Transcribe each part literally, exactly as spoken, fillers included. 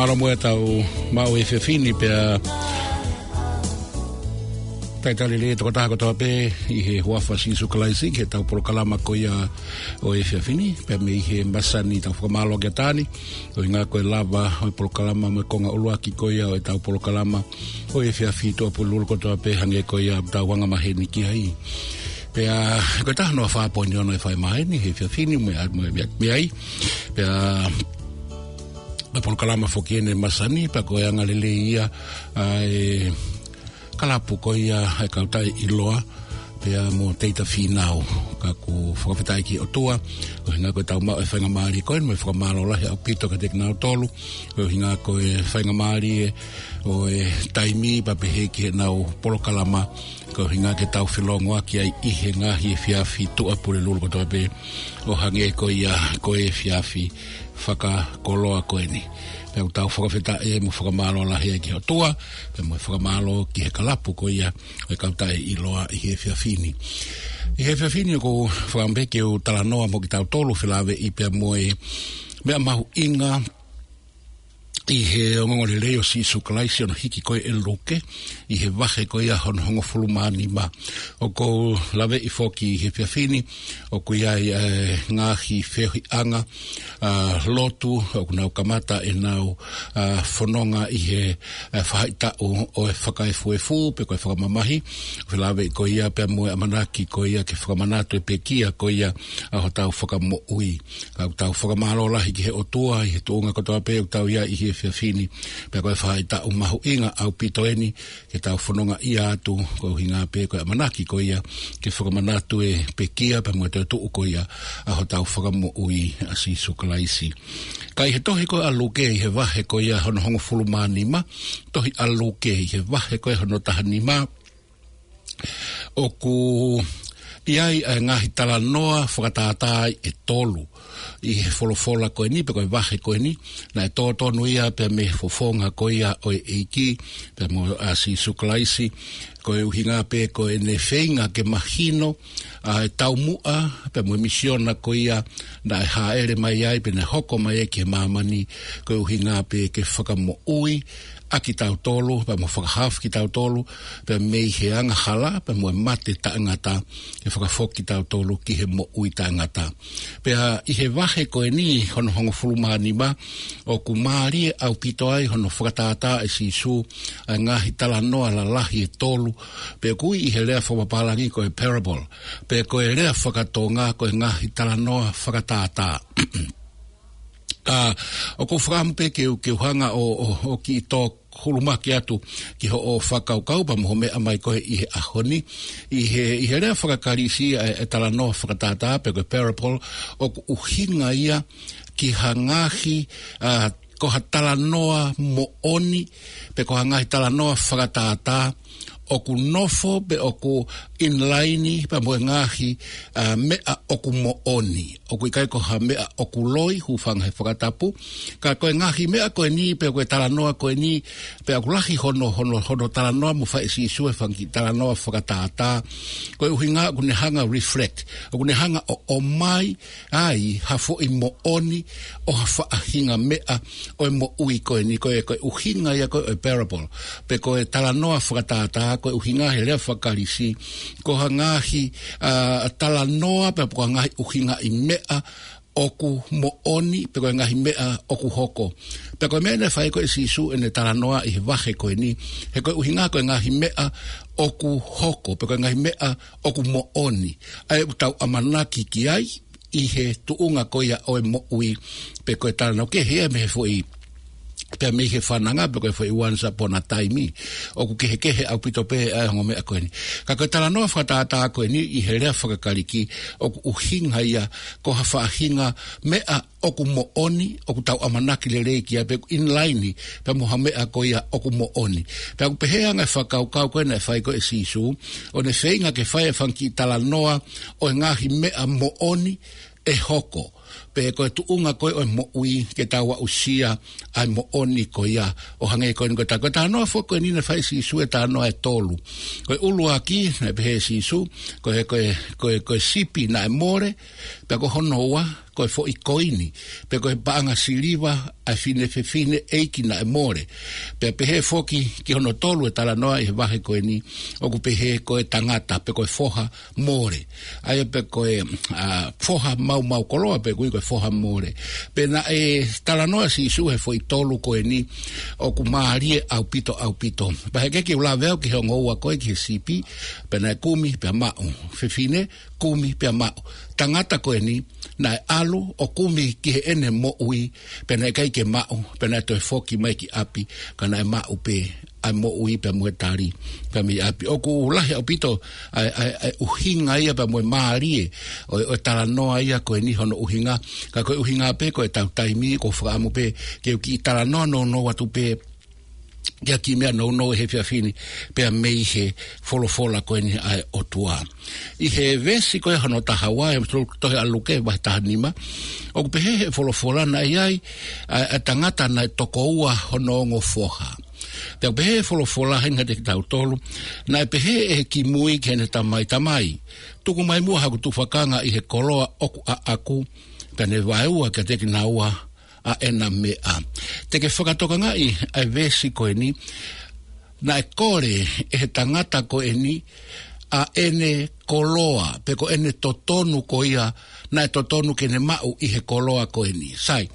Mālō muʻa ʻetau maʻu efiafi ni pea talitali lelei e tokotaha kotoa pē ʻi he huafa ʻo Sīsū Kalaisi ki heʻetau polokalama ko ia ʻo e efiafi ni, pea mei he masani tau fakamālō ki ai ʻataʻatā ni, ʻuhinga ko e lava ʻo e polokalama mo e konga ʻuluaki ko ia ʻo ʻetau polokalama ʻo e efiafi, Tuʻapulelulu kotoa pē hangē ko ia ʻoku tau anga maheni ki ai. Pea ko e taha noa fā poini ono e fai mai eni he efiafi ni mo e, mo e, mo e, mo e ai. Pea ʻa e polokalama foki eni e masani, pea ko e anga lelei ia ʻa e kalapu ko ia ʻa e Kautaʻi ʻIloa pea mo Teita Fīnau. Ka ʻoku fakafetaʻi ki he ʻOtua, ʻuhinga ko ʻetau maʻu e faingamālie ko eni, mo e fakamālō lahi ʻaupito kiate kinautolu, ʻuhinga ko e faingamālie ʻo e taimi pea pehē ki heʻenau polokalama, ko e ʻuhinga ke tau felōngoaki ai ʻi he ngaahi efiafi Tuʻapulelulu kotoa pē, ʻo hangē ko ia ko e efiafi fakakoloa ko eni. Pea ʻoku tau fakafetaʻi mo fakamālō lahi ai ki he ʻOtua, pea mo e fakamālō ki he kalapu ko ia ʻo e Kautaʻi ʻIloa ʻi he efiafi ni. ʻI he efiafi ni ʻoku ou fakaʻamu pē ke u talanoa mo kitautolu felāveʻi pea mo e meʻa mahuʻinga ʻi he ongoongolelei ʻo Sīsū Kalaisi ʻo hono hiki ko ē ʻe Luke, ʻi he vahe ko ia hono hongofulu mā nima. ʻOku ou laveʻi foki ʻi he efiafi ni, ʻoku ʻi ai e ngaahi feohiʻanga ʻa e lotu, ʻoku nau kamata ʻenau, ʻa, fononga ʻi he, ʻa, faʻahitaʻu ʻo e fakaefuefu, pe ko e fakamamahi, felāveʻi ko ia pea mo e ʻamanaki ko ia ke fakamanatu e pekia ko ia ʻa hotau Fakamoʻui. Ka ʻoku tau fakamālō lahi ki he ʻOtua ʻi he tuʻunga kotoa pē ʻoku tau ʻi ai ʻi he efiafi ni, pea ko e faʻahitaʻu mahuʻinga ʻaupito eni ke tau fonongaʻia atu, ko e ʻuhinga pē ko e ʻamanaki ko ia ke fakamanatu e pekia pea mo e toetuʻu ko ia ʻa hotau Fakamoʻui ʻa Sīsū Kalaisi. Ka ʻi he tohi ko ē ʻa Luke ʻi he vahe ko ia hono hongofulu mā nima, tohi ʻa Luke ʻi he vahe ko ē hono taha nima, ʻoku ʻi ai ʻa e ngaahi talanoa fakatātā ʻe tolu ʻi he folofola ko eni, pe ko e vahe ko eni. Naʻe tōtonu ia pea mei he fofonga ko ia ʻo e ʻEiki, pea mo, ʻa, Sīsū Kalaisi, ko e ʻuhinga pē ko ʻene feinga ke mahino ʻa e taumuʻa, pea mo e misiona ko ia naʻe hāʻele mai ai, pe naʻe hoko mai ai ki he māmani, ko e ʻuhinga pē ke fakamoʻui ʻa kitautolu, pea mo fakahaofi kitautolu, pea mei he angahala, pea mo e mate taʻengata, ke fakafoki kitautolu ki he moʻui taʻengata. Pea ʻi he vahe ko eni hono hongofulu mā nima, ʻoku mālie ʻaupito ai hono fakatātā ʻe Sīsū ʻa e ngaahi talanoa lalahi ʻe tolu, pe ʻoku ui ʻi he lea fakapālangi ko e parable, pe ko e lea fakatonga ko e ngaahi talanoa fakatātā. Ka ʻoku ou fakaʻamu pē ke u, ke u hanga ʻo, ʻo, ʻo kiʻi tō hulumaki atu ki hoʻo fakakaukau pea mo hoʻo meʻa mai ko ē ʻi he ʻaho ni. ʻI he, ʻi he lea faka-Kalisi ʻa e, ʻa e talanoa fakatātā pe ko e parable, ʻoku ʻuhinga ia ki ha ngaahi, ʻa, ko ha talanoa moʻoni, pe ko ha ngaahi talanoa fakatātā, ʻoku nofo pe ʻoku in line pea mo e ngaahi, ʻa, meʻa ʻoku moʻoni. ʻOku ʻikai ko ha meʻa ʻoku loi, hūfanga he fakatapu. Ka ko e ngaahi meʻa ko eni, pe ko e talanoa ko eni, pea ʻoku lahi hono, hono, hono talanoa mo fai ʻe Sīsū e fanga kiʻi talanoa fakatātā. Ko e ʻuhinga ʻoku ne hanga reflect, ʻoku ne hanga ʻo, ʻomai ai ha foʻi moʻoni ʻo ha faʻahinga meʻa ʻo e moʻui ko eni, ko e, ko e ʻuhinga ia ko ē ʻo e parable, pe ko e talanoa fakatātā, ko e ʻuhinga he lea faka-Kalisi, ko ha ngaahi, ʻa, talanoa, pe ko ha ngaahi ʻuhingaʻi meʻa ʻoku moʻoni, pe ko e ngaahi meʻa ʻoku hoko. Pea ko e meʻa naʻe fai ko ē ʻe Sīsū ʻene talanoa ʻi he vahe ko eni, he ko e ʻuhinga ko e ngaahi meʻa ʻoku hoko, pe ko e ngaahi meʻa ʻoku moʻoni, ʻa ia ʻoku tau ʻamanaki ki ai, ʻi he tuʻunga ko ia ʻo e moʻui, pe ko e talanoa kehe ia mei he foʻi, pea mei he fananga, pe ko e foʻi once upon a time. ʻOku kehekehe ʻaupito pē ʻa e ongo meʻa ko eni. Ka ko e talanoa fakatātā ko eni ʻi he lea faka-Kalisi, ʻoku ʻuhinga ia ko ha faʻahinga meʻa ʻoku moʻoni, ʻoku tau ʻamanaki lelei ki ai pe ʻoku in line pea mo ha meʻa ko ia ʻoku moʻoni. Pea ʻoku pehē ange e fakakaukau ko ē naʻe fai ko ē ʻe Sīsū, ʻo ne feinga ke fai e fanga kiʻi talanoa ʻo e ngaahi meʻa moʻoni ʻe hoko, pe ko e tuʻunga ko ē ʻo e moʻui ke tau aʻusia ʻa e moʻoni ko ia, ʻo hangē ko eni ko e ta-, ko e talanoa foki ko eni naʻe fai ʻe Sīsū e talanoa ʻe tolu. Ko e ʻuluaki, naʻe pehē ʻe Sīsū, ko e, ko e, ko e, ko e sipi naʻe mole, pea ko hono ua, ko e foʻi koini, pe ko e paʻanga siliva ʻa e fine fefine ʻeiki naʻe mole. Pea pehē foki ki hono tolu e talanoa ʻi he vahe ko eni, ʻoku pehē ko e tangata, pe ko e foha mole. ʻA ia pe ko e, ʻa, foha maumau koloa, pe ʻoku ui ko e foha mole. Pea naʻe talanoa Sīsū he foʻi tolu ko eni, ʻoku mālie ʻaupito, ʻaupito. Pea heʻikai ke u lave au ki he ongo ua ko ē ki he sipi, pea naʻe kumi, pea maʻu. Fefine, kumi pea maʻu. Tangata ko eni, naʻe ʻalu ʻo kumi ki heʻene moʻui, pea naʻe ʻikai ke maʻu, pea naʻe toe foki mai ki ʻapi, ka naʻe maʻu pē ʻa e moʻui pea mo e tali, pea mei ʻapi. ʻOku lahi ʻaupito ʻa e, ʻa e, ʻa e ʻuhinga ia pea mo e mālie ʻo, ʻo e talanoa ia ko eni hono ʻuhinga, ka ko e ʻuhinga pē ko e tau taimi, ʻoku ou fakaʻamu pē ke u kiʻi talanoa nounou atu pē, ke ʻai ha kiʻi meʻa nounou he efiafi ni, pea mei he folofola ko eni ʻa e ʻOtua. ʻI he veesi ko ē hono taha ua, he tohi ʻa Luke, vahe taha nima, ʻoku pehē he folofola naʻe ʻi ai ʻa, ʻa e tangata naʻe toko ua hono ongo foha. Pea ʻoku pehē he folofola heni kiate kitautolu, naʻe pehē ʻe he kimui ki heʻene tamai, tamai, tuku mai muʻa haku tufakanga ʻi he koloa ʻoku ʻaʻaku, pea ne vaeua kiate kinaua ʻa ʻena meʻa. Te ke fakatokangaʻi ʻa e veesi ko eni, naʻe kole ʻe he tangata ko eni ʻa ʻene koloa, pe ko ʻene totonu ko ia, naʻe totonu ke ne maʻu ʻi he koloa ko eni. Sai,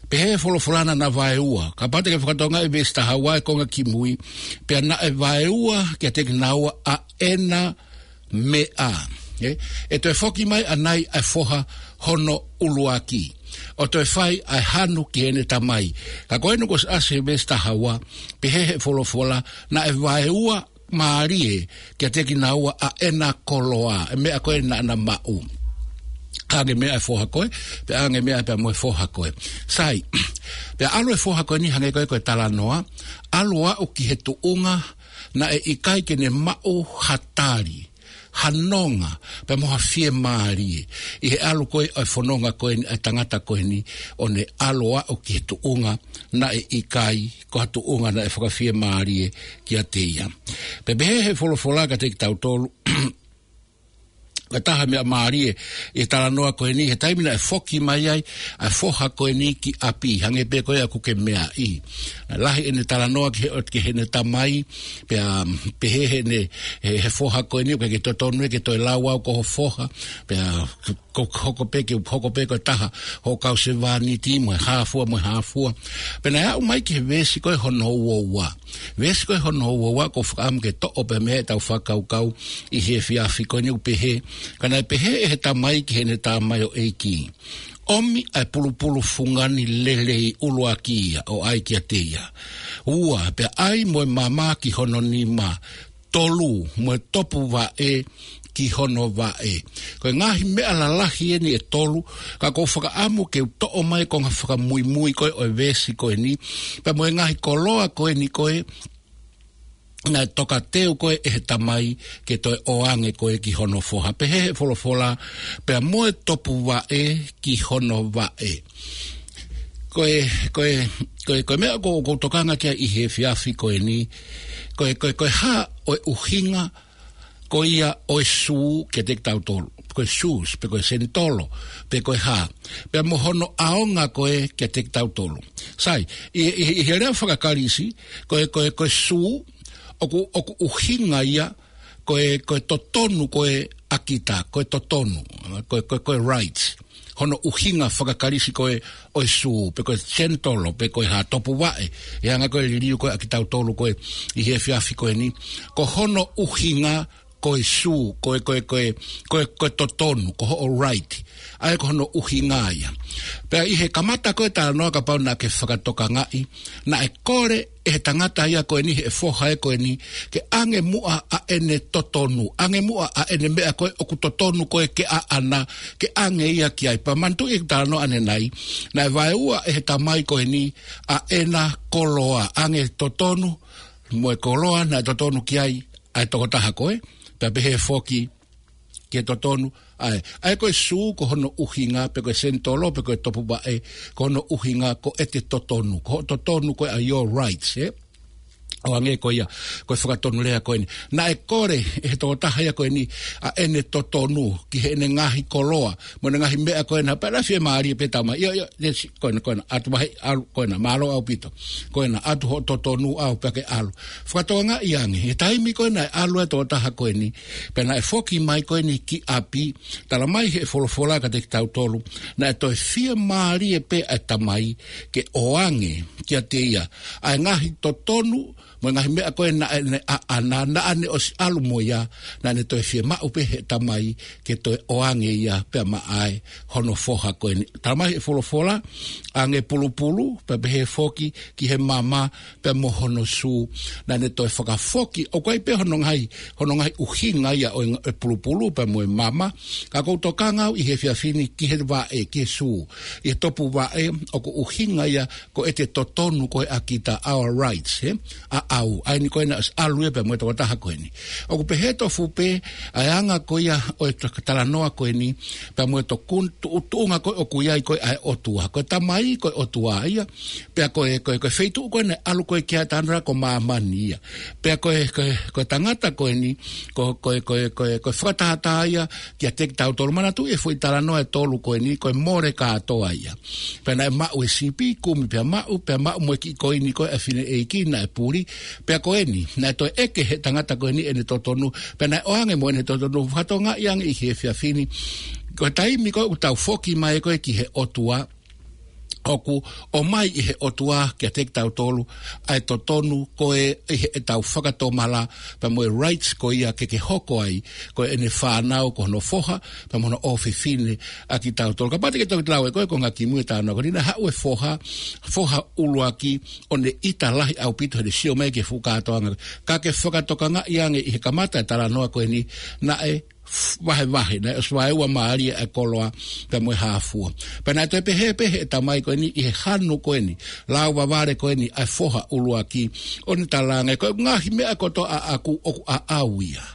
pehē he folofola naʻa na vaeua, kapau te ke fakatokangaʻi veesi taha ua e konga kimui, pea naʻe vaeua kiate kinaua ʻa ʻena meʻa. ʻE, ʻe toe foki mai ʻanai ʻa e foha hono ʻuluaki, ʻo toe fai ʻa e hanu ki heʻene tamai. Ka ko eni kuo ʻosi ʻasi he veesi taha ua, pehē he folofola, naʻe vaeua mālie kiate kinaua ʻa ʻena koloa, e meʻa ko ē naʻa na maʻu. ʻAnge meʻa e foha ko ē, pea ʻange meʻa pea mo e foha ko ē. Sai, pea ʻalu e foha ko eni hangē ko ē ko e talanoa, ʻalu ʻo aʻu ki he tuʻunga, naʻe ʻikai ke ne maʻu ha tali, ha nonga, pea mo ha fiemālie. ʻI he ʻalu ko ē ʻa e fononga ko eni ʻa e tangata ko eni, ʻo ne ʻalu ʻo aʻu ki he tuʻunga, naʻe ʻikai ko ha tuʻunga naʻe fakafiemālie kiate ia. Pea pehē he folofola kiate kitautolu, ko e taha meʻa mālie ʻi he talanoa ko eni, he taimi naʻe foki mai ai ʻa e foha ko eni ki ʻapi, hangē pē ko ia ʻoku ke meaʻi. Lahi ʻene talanoa ki he, ki heʻene tamai, pea pehē heʻene, he, he foha ko eni, ʻoku ʻikai ke totonu ia ke toe lau au ko ho foha, pea ko, hoko pē ke, hoko pē ko e taha hoʻo kau sevāniti mo e hā fua, mo e hā fua. Pea naʻe aʻu mai ki he veesi ko ē hono ua ua. Veesi ko ē hono ua ua, ʻoku ou fakaʻamu ke toʻo pē mei ai ʻetau fakakaukau ʻi he efiafi ko eni, ʻoku pehē, ka naʻe pehē ʻe he tamai ki heʻene tamaioʻeiki, ʻomi ʻa e pulupulu fungani lelei ʻuluaki ia ʻo ʻai kiate ia. Ua, pea ʻai mo e mama ki hono nima. Tolu, mo e topu vaʻe ki hono vaʻe. Ko e ngaahi meʻa lalahi eni ʻe tolu, ka ʻoku ou fakaʻamu ke u toʻo mai e konga fakamuimui ko ē ʻo e veesi ko eni, pea mo e ngaahi koloa ko eni ko ē, naʻe tokateu ko ē ʻe he tamai ke toe ʻoange ko ē ki hono foha. Pehē he folofola, pea mo e topu vaʻe ki hono vaʻe. Ko e, ko e, ko e, ko e meʻa ʻoku ou, ʻoku ou tokanga ki ai ʻi he efiafi ko eni, ko e, ko e, ko e hā ʻa e ʻuhinga ko ia ʻo e sū kiate kitautolu, ko e shoes, pe ko e senitolo, pe ko e hā, pea mo hono ʻaonga ko ē kiate kitautolu. Sai, ʻi, ʻi, ʻi he lea faka-Kalisi, ko e, ko e, ko e sū, ʻoku, ʻoku ʻuhinga ia, ko e, ko e totonu ko ē ʻa kita, ko e totonu, ko e, ko e, ko e rights. Hono ʻuhinga faka-Kalisi ko ē ʻo e sū, pe ko e senitolo, pe ko e hā, topu vaʻe, ʻi he anga ko ē e liliu ko ē ʻa kitautolu ko ē ʻi he efiafi ko eni, ko hono ʻuhinga ko e sū, ko e, ko e, ko e, ko e, ko e totonu, ko hoʻo right. ʻA ia ko hono ʻuhinga ia. Pea ʻi he kamata ko ē talanoa, kapau naʻa ke fakatokangaʻi, naʻe kole ʻe he tangata ia ko eni, he foha ia ko eni, ke ʻange muʻa ʻa ʻene totonu, ʻange muʻa ʻa ʻene meʻa ko ē ʻoku totonu ko ē ke ʻaʻana, ke ʻange ia ki ai. Pea manatuʻi e talanoa ʻanenai, naʻe vaeua ʻe he tamai ko eni ʻa ʻena koloa, ʻange totonu, mo e koloa naʻe totonu ki ai ʻa e tokotaha ko ē, pea pehē foki ki he totonu, ʻa e, ʻa e ko e sū ko hono ʻuhinga, pe ko e senitolo, pe ko e topu vaʻe, ko hono ʻuhinga ko ʻete totonu, ko hoʻo totonu ko ē ʻa your rights, ē? ʻo hangē ko ia, ko e fakatonulea ko eni. Naʻe kole ʻe he tokotaha ia ko eni ʻa ʻene totonu ki heʻene ngaahi koloa, mo ʻene ngaahi meʻa ko ena, pea naʻe fiemālie pē tamai. ʻIo, ʻio, ʻio, si-, ko ena, ko ena, ʻatu vahe, ʻalu, ko ena, mālō ʻaupito. Ko ena, ʻatu hoʻo totonu au pea ke ʻalu. Fakatokangaʻi ange, he taimi ko ena ʻe ʻalu e tokotaha ko eni, pea naʻe foki mai ko eni ki ʻapi, talamai ʻe he folofola kiate kitautolu, naʻe toe fiemālie pē ʻa e tamai ke ʻoange kiate ia ʻa e ngaahi totonu, mo e ngaahi meʻa ko ē naʻa ne ʻaʻana, naʻa ne ʻosi ʻalu mo ia, naʻa ne toe fiemaʻu pē ʻe he tamai ke toe ʻoange ia pea maʻa e hono foha ko eni. Talamai ʻe he folofola, ange pulupulu, pea pehē foki ki he mama, pea mo hono sū, naʻa ne toe fakafoki, ʻoku ʻi ai pē hono ngaahi, hono ngaahi ʻuhinga ia ʻo e ng-, e pulupulu, pea mo e mama, ka ʻoku ou tokanga au ʻi he efiafi ni ki he vaʻe, ki he sū, ʻi he topuvaʻe, ʻoku ʻuhinga ia ko ʻete totonu ko ē ʻa kita, our rights, ē? ʻAʻau, ʻa eni ko ena ʻosi ʻalu ia pea mo e tokotaha ko eni. ʻOku pehē tofu pē ʻa e anga ko ia ʻo e talanoa ko eni, pea mo e tokun-, tuʻu-, tuʻunga ko ē ʻoku ʻi ai ko ē ʻa e ʻOtua. Ko e tamai, ko e ʻOtua ia, pea ko e, ko e, ko e feituʻu ko ē naʻe ʻalu ko ē ki ai e tangata ko māmani ia. Pea ko e, ko e, ko e tangata ko eni, ko, ko e, ko e, ko e, ko e fakatātā ia kiate kitautolu. Manatuʻi e foʻi talanoa ʻe tolu ko eni, ko e mole kātoa ia. Pea naʻe maʻu e sipi, kumi pea maʻu, pea maʻu mo e kiʻi koini ko ē ʻa e fineʻeiki naʻe puli, pea ko eni, naʻe toe ʻeke ʻe he tangata ko eni ʻene totonu, pea naʻe ʻoange mo ʻene totonu. Fakatokangaʻi ange ʻi he efiafi ni, ko e taimi ko ē ʻoku tau foki mai ko ē ki he ʻOtua, ʻoku ʻomai ʻe he ʻOtua kiate kitautolu ʻa e totonu ko ē ʻi heʻetau fakatomala, pea mo e rights ko ia ke ke hoko ai ko ʻene fānau, ko hono foha, pea mo hono ʻofefine ʻa kitautolu. Kapau te ke toki lau ē ko ē konga kimui e talanoa ko eni, naʻe haʻu e foha, foha ʻuluaki, ʻo ne ʻita lahi ʻaupito heʻene sio mai ki he fuʻu kātoanga. Ka ke fakatokangaʻi ange ʻi he kamata e talanoa ko eni, naʻe vahevahe, naʻe ʻosi vaeua mālie ʻa e koloa pea mo e hā fua. Pea naʻe toe pehē pē ʻe he tamai ko eni ʻi he hanu ko eni, lau vavale ko eni ʻa e foha ʻuluaki, ʻo ne talaange, ko e ngaahi meʻa kotoa ʻaʻaku ʻoku ʻaʻau ia.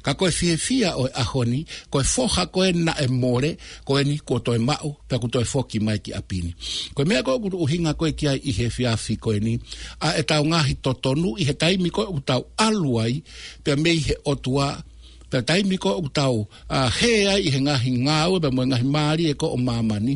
Ka ko e fiefia ʻo e ʻaho ni, ko e foha ko ē naʻe mole, ko eni kuo toe maʻu, pea kuo toe foki mai ki ʻapi ni. Ko e meʻa ko ē ʻoku ou ʻuhinga ko ē ki ai ʻi he efiafi ko eni, ʻa ʻetau ngaahi totonu ʻi he taimi ko ē ʻoku tau ʻalu ai, pea mei he ʻOtua, pea taimi ko ē ʻoku tau, ʻa, hē ai ʻi he ngaahi ngāue, pea mo e ngaahi mālie ko ē ʻo māmani.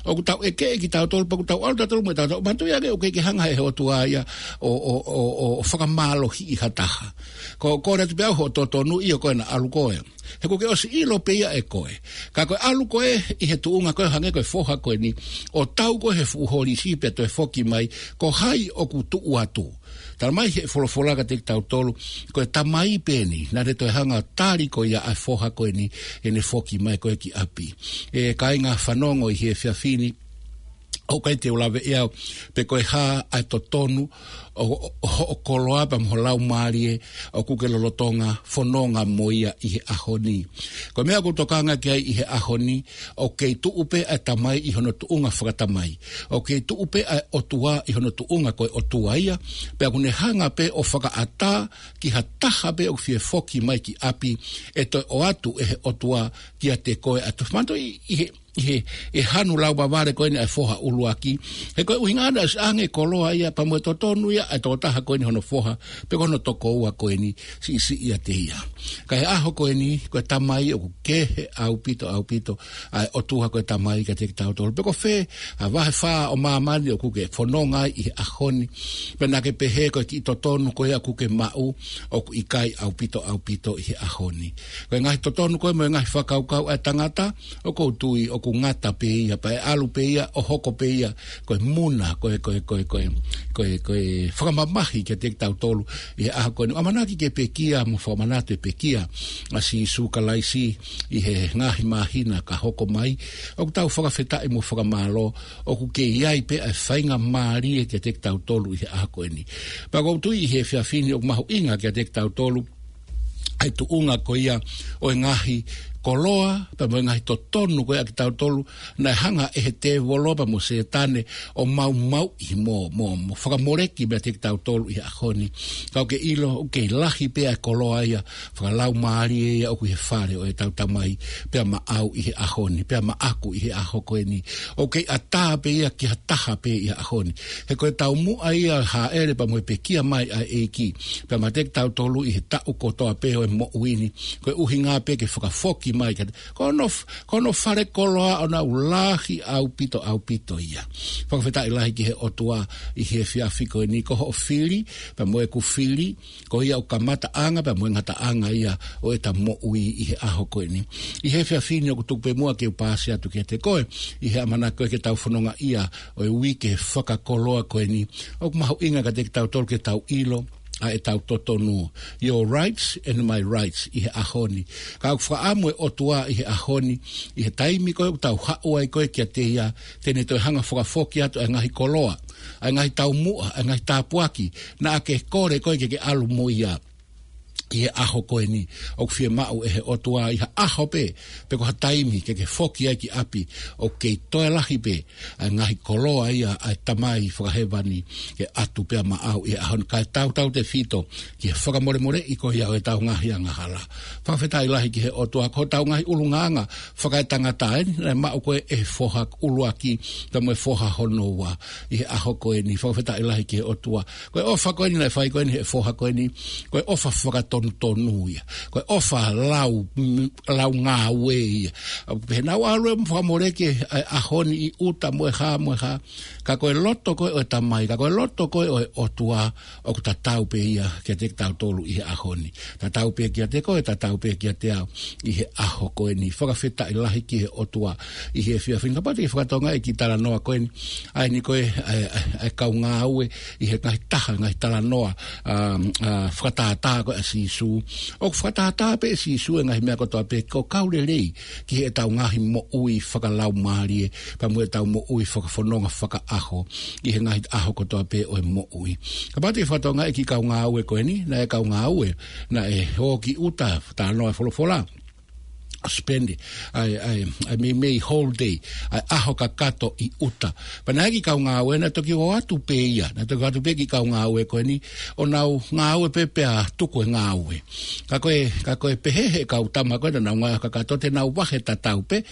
ʻOku tau ʻeke ʻe kitautolu, pea ʻoku tau ʻalu tautolu mo e tautolu. Manatuʻi ange ʻoku ʻikai ke hanga ʻe he ʻOtua ia ʻo, ʻo, ʻo, ʻo, ʻo fakamālohiʻi ha taha. Ko, ko e atu pē au hoʻo totonu, ʻio ko ena ʻalu koe. He ʻoku ke ʻosi ʻilo pē ia ʻe koe. Ka ko e ʻalu ko ē ʻi he tuʻunga ko ē hangē ko e foha ko eni, ʻo tau ko ē he fuʻu holisi pea toe foki mai, ko hai ʻoku tuʻu atu. Talamai ʻe he folofola kiate kitautolu, ko e tamai pē eni, naʻa ne toe hanga ʻo tali ko ia ʻa e foha ko eni, ʻene foki mai ko ē ki ʻapi. ʻE kāinga fanongo ʻi he efiafi ni, ʻoku ʻikai te u lave ʻe au pe ko e hā ʻa e totonu ʻo, ʻo, ʻo hoʻo koloa pea mo ho laumālie ʻoku ke lolotonga fononga mo ia ʻi he ʻaho ni. Ko e meʻa ʻoku ou tokanga ki ai ʻi he ʻaho ni, ʻoku kei tuʻu pē ʻa e tamai ʻi hono tuʻunga fakatamai. ʻOku kei tuʻu pē ʻa e ʻOtua ʻi hono tuʻunga ko e ʻOtua ia, pea ʻoku ne hanga pē ʻo fakaʻatā ki ha taha pē ʻoku fie foki mai ki ʻapi, ʻe toe ʻoatu ʻe he ʻOtua kiate koe ʻa e totonu. Manatuʻi ʻi he ʻi he, ʻi he hanu lau vavale ko eni ʻa e foha ʻuluaki. He ko e ʻuhinga naʻe ʻosi ʻange koloa ia pea mo e totonu ia ʻa e tokotaha ko eni hono foha, pe ko hono tokoua ko eni, siʻisiʻi ʻiate ia. Ka ʻi he ʻaho ko eni, ko e tamai ʻoku kehe ʻaupito, ʻaupito, ʻa e ʻOtua ko e tamai kiate kitautolu. Pe ko fē ʻa e vahe fā ʻo māmani ʻoku ke fononga ai ʻi he ʻaho ni. Pea naʻa ke pehē ko e kiʻi totonu ko ia ʻoku ke maʻu, ʻoku ʻikai ʻaupito, ʻaupito ʻi he ʻaho ni. Ko e ngaahi totonu ko ē mo e ngaahi fakakaukau ʻa e tangata, ʻoku ou tui ʻoku ngata pē ia, pea ʻe ʻalu pē ia, ʻo hoko pē ia, ko e muna, ko e, ko e, ko e, ko e, ko e, ko e fakamamahi kiate kitautolu ʻi he ʻaho ko eni. ʻAmanaki ke pekia, mo fakamanatu e pekia ʻa Sīsū Kalaisi ʻi he ngaahi māhina ka hoko mai. ʻOku tau fakafetaʻi mo fakamālō, ʻoku kei ʻi ai pē ʻa e faingamālie kiate kitautolu ʻi he ʻaho ko eni. Pea ʻoku ou tui ʻi he efiafi ni ʻoku mahuʻinga kiate kitautolu ʻa e tuʻunga ko ia ʻo e ngaahi koloa, pea mo e ngaahi totonu ko ē ʻa kitautolu, naʻe hanga ʻe he tēvolo pea mo Sētane ʻo maumauʻi mo, mo, mo fakamoleki meiate kitautolu ʻi he ʻaho ni. Ka ʻoku ke ʻilo, ʻoku kei lahi pē ʻa e koloa ia fakalaumālie ia ʻoku ʻi he fale ʻo ʻetau Tamai, pea maʻau ʻi he ʻaho ni, pea maʻaku ʻi he ʻaho ko eni. ʻOku kei ʻatā pē ia ki ha taha pē ʻi he ʻaho ni. He ko e taumuʻa ia ʻa e hāʻele pea mo e pekia mai ʻa e ʻEiki pea meiate kitautolu ʻi he taʻu kotoa pē ʻo e moʻui ni. Ko e ʻuhinga pē ke fakafoki mai kiate, ko hono f-, ko hono fale koloa ʻoku nau lahi ʻaupito, ʻaupito ia. Fakafetaʻi lahi ki he ʻOtua ʻi he efiafi ko eni, ko hoʻo fili pea mo ʻeku fili, ko ia ʻoku kamataʻanga pea mo e ngataʻanga ia ʻo ʻeta moʻui ʻi he ʻaho ko eni. ʻI he efiafi ni ʻoku tuku pē muʻa ke u paasi atu kiate koe ʻi he ʻamanaki ko ē ke tau fononga ia ʻo e uike fakakoloa ko eni. ʻOku mahuʻinga kiate kitautolu ke tau ʻilo ʻa ʻetau totonu. Your rights and my rights ʻi he ʻaho ni. Ka ʻoku fakaʻamu e ʻOtua ʻi he ʻaho ni, ʻi he taimi ko ē ʻoku tau haʻu ai ko ē kiate ia, te ne toe hanga fakafoki atu ʻa e ngaahi koloa, ʻa e ngaahi taumuʻa, ʻa e ngaahi tāpuaki naʻa ke kole koe ke ke ʻalu mo ia. ʻI he ʻaho ko eni, ʻoku fiemaʻu ʻe he ʻOtua ʻi ha ʻaho pē, pe ko ha taimi ke ke foki ai ki ʻapi, ʻoku kei toe lahi pē ʻa e ngaahi koloa ia ʻa e Tamai fakahēvani ke ʻatu pea maʻau ʻi he ʻaho ni, kae tautautefito ki he fakamolemoleʻi ko ia ʻo ʻetau ngaahi angahala. Fakafetaʻi lahi ki he ʻOtua, ko hotau ngaahi ʻulungaanga fakaetangata eni, naʻe maʻu ko ē ʻe he foha ʻuluaki pea mo e foha hono ua ʻi he ʻaho ko eni. Fakafetaʻi lahi ki he ʻOtua. Ko e ʻofa ko eni naʻe fai ko eni ʻe he foha ko eni, ko e ʻofa fakatonutonu ia. Ko e ʻofa lau, m-, lau ngāue ia. Pea nau ʻalu ʻo fakamoleki ʻa e ʻaho ni ʻi ʻuta mo e hā, mo e hā. Ka ko e loto ko ē ʻo e Tamai, ka ko e loto ko ē ʻo e ʻOtua, ʻoku tatau pē ia kiate kitautolu ʻi he ʻaho ni. Tatau pē kiate koe, tatau pē kiate au ʻi he ʻaho ko eni. Fakafetaʻi lahi ki he ʻOtua ʻi he efiafi ni. Kapau te ke fakatokangaʻi e kiʻi talanoa ko eni, ʻa eni ko ē, ʻa e, ʻa e, ʻa e kau ngāue ʻi he ngaahi taha, ngaahi talanoa, ʻa, ʻa, fakatātā ko ē ʻa Sīsū. ʻOku fakatātā pē ʻe Sīsū e ngaahi meʻa kotoa pē ko e kau lelei ki heʻetau ngaahi moʻui fakalaumālie, pea mo ʻetau moʻui fakafononga fakaʻaho ʻi he ngaahi ʻaho kotoa pē ʻo e moʻui. Kapau te ke fakatokangaʻi e kiʻi kau ngāue ko eni, naʻe kau ngāue naʻe ō ki ʻuta, talanoa e folofola, spend ʻa e, ʻa e, ʻa e meimei whole day, ʻa e ʻaho kakato ʻi ʻuta. Pea naʻe ʻi ai e kiʻi kau ngāue naʻe toki ō atu pē ia, naʻe toki ō atu pē e kiʻi kau ngāue ko eni ʻo nau ngāue pē pea tuku e ngāue. Ka ko e, ka ko e pehē ʻe he kau tama ko ē naʻa nau ngāue kakato te nau vahe tatau pē,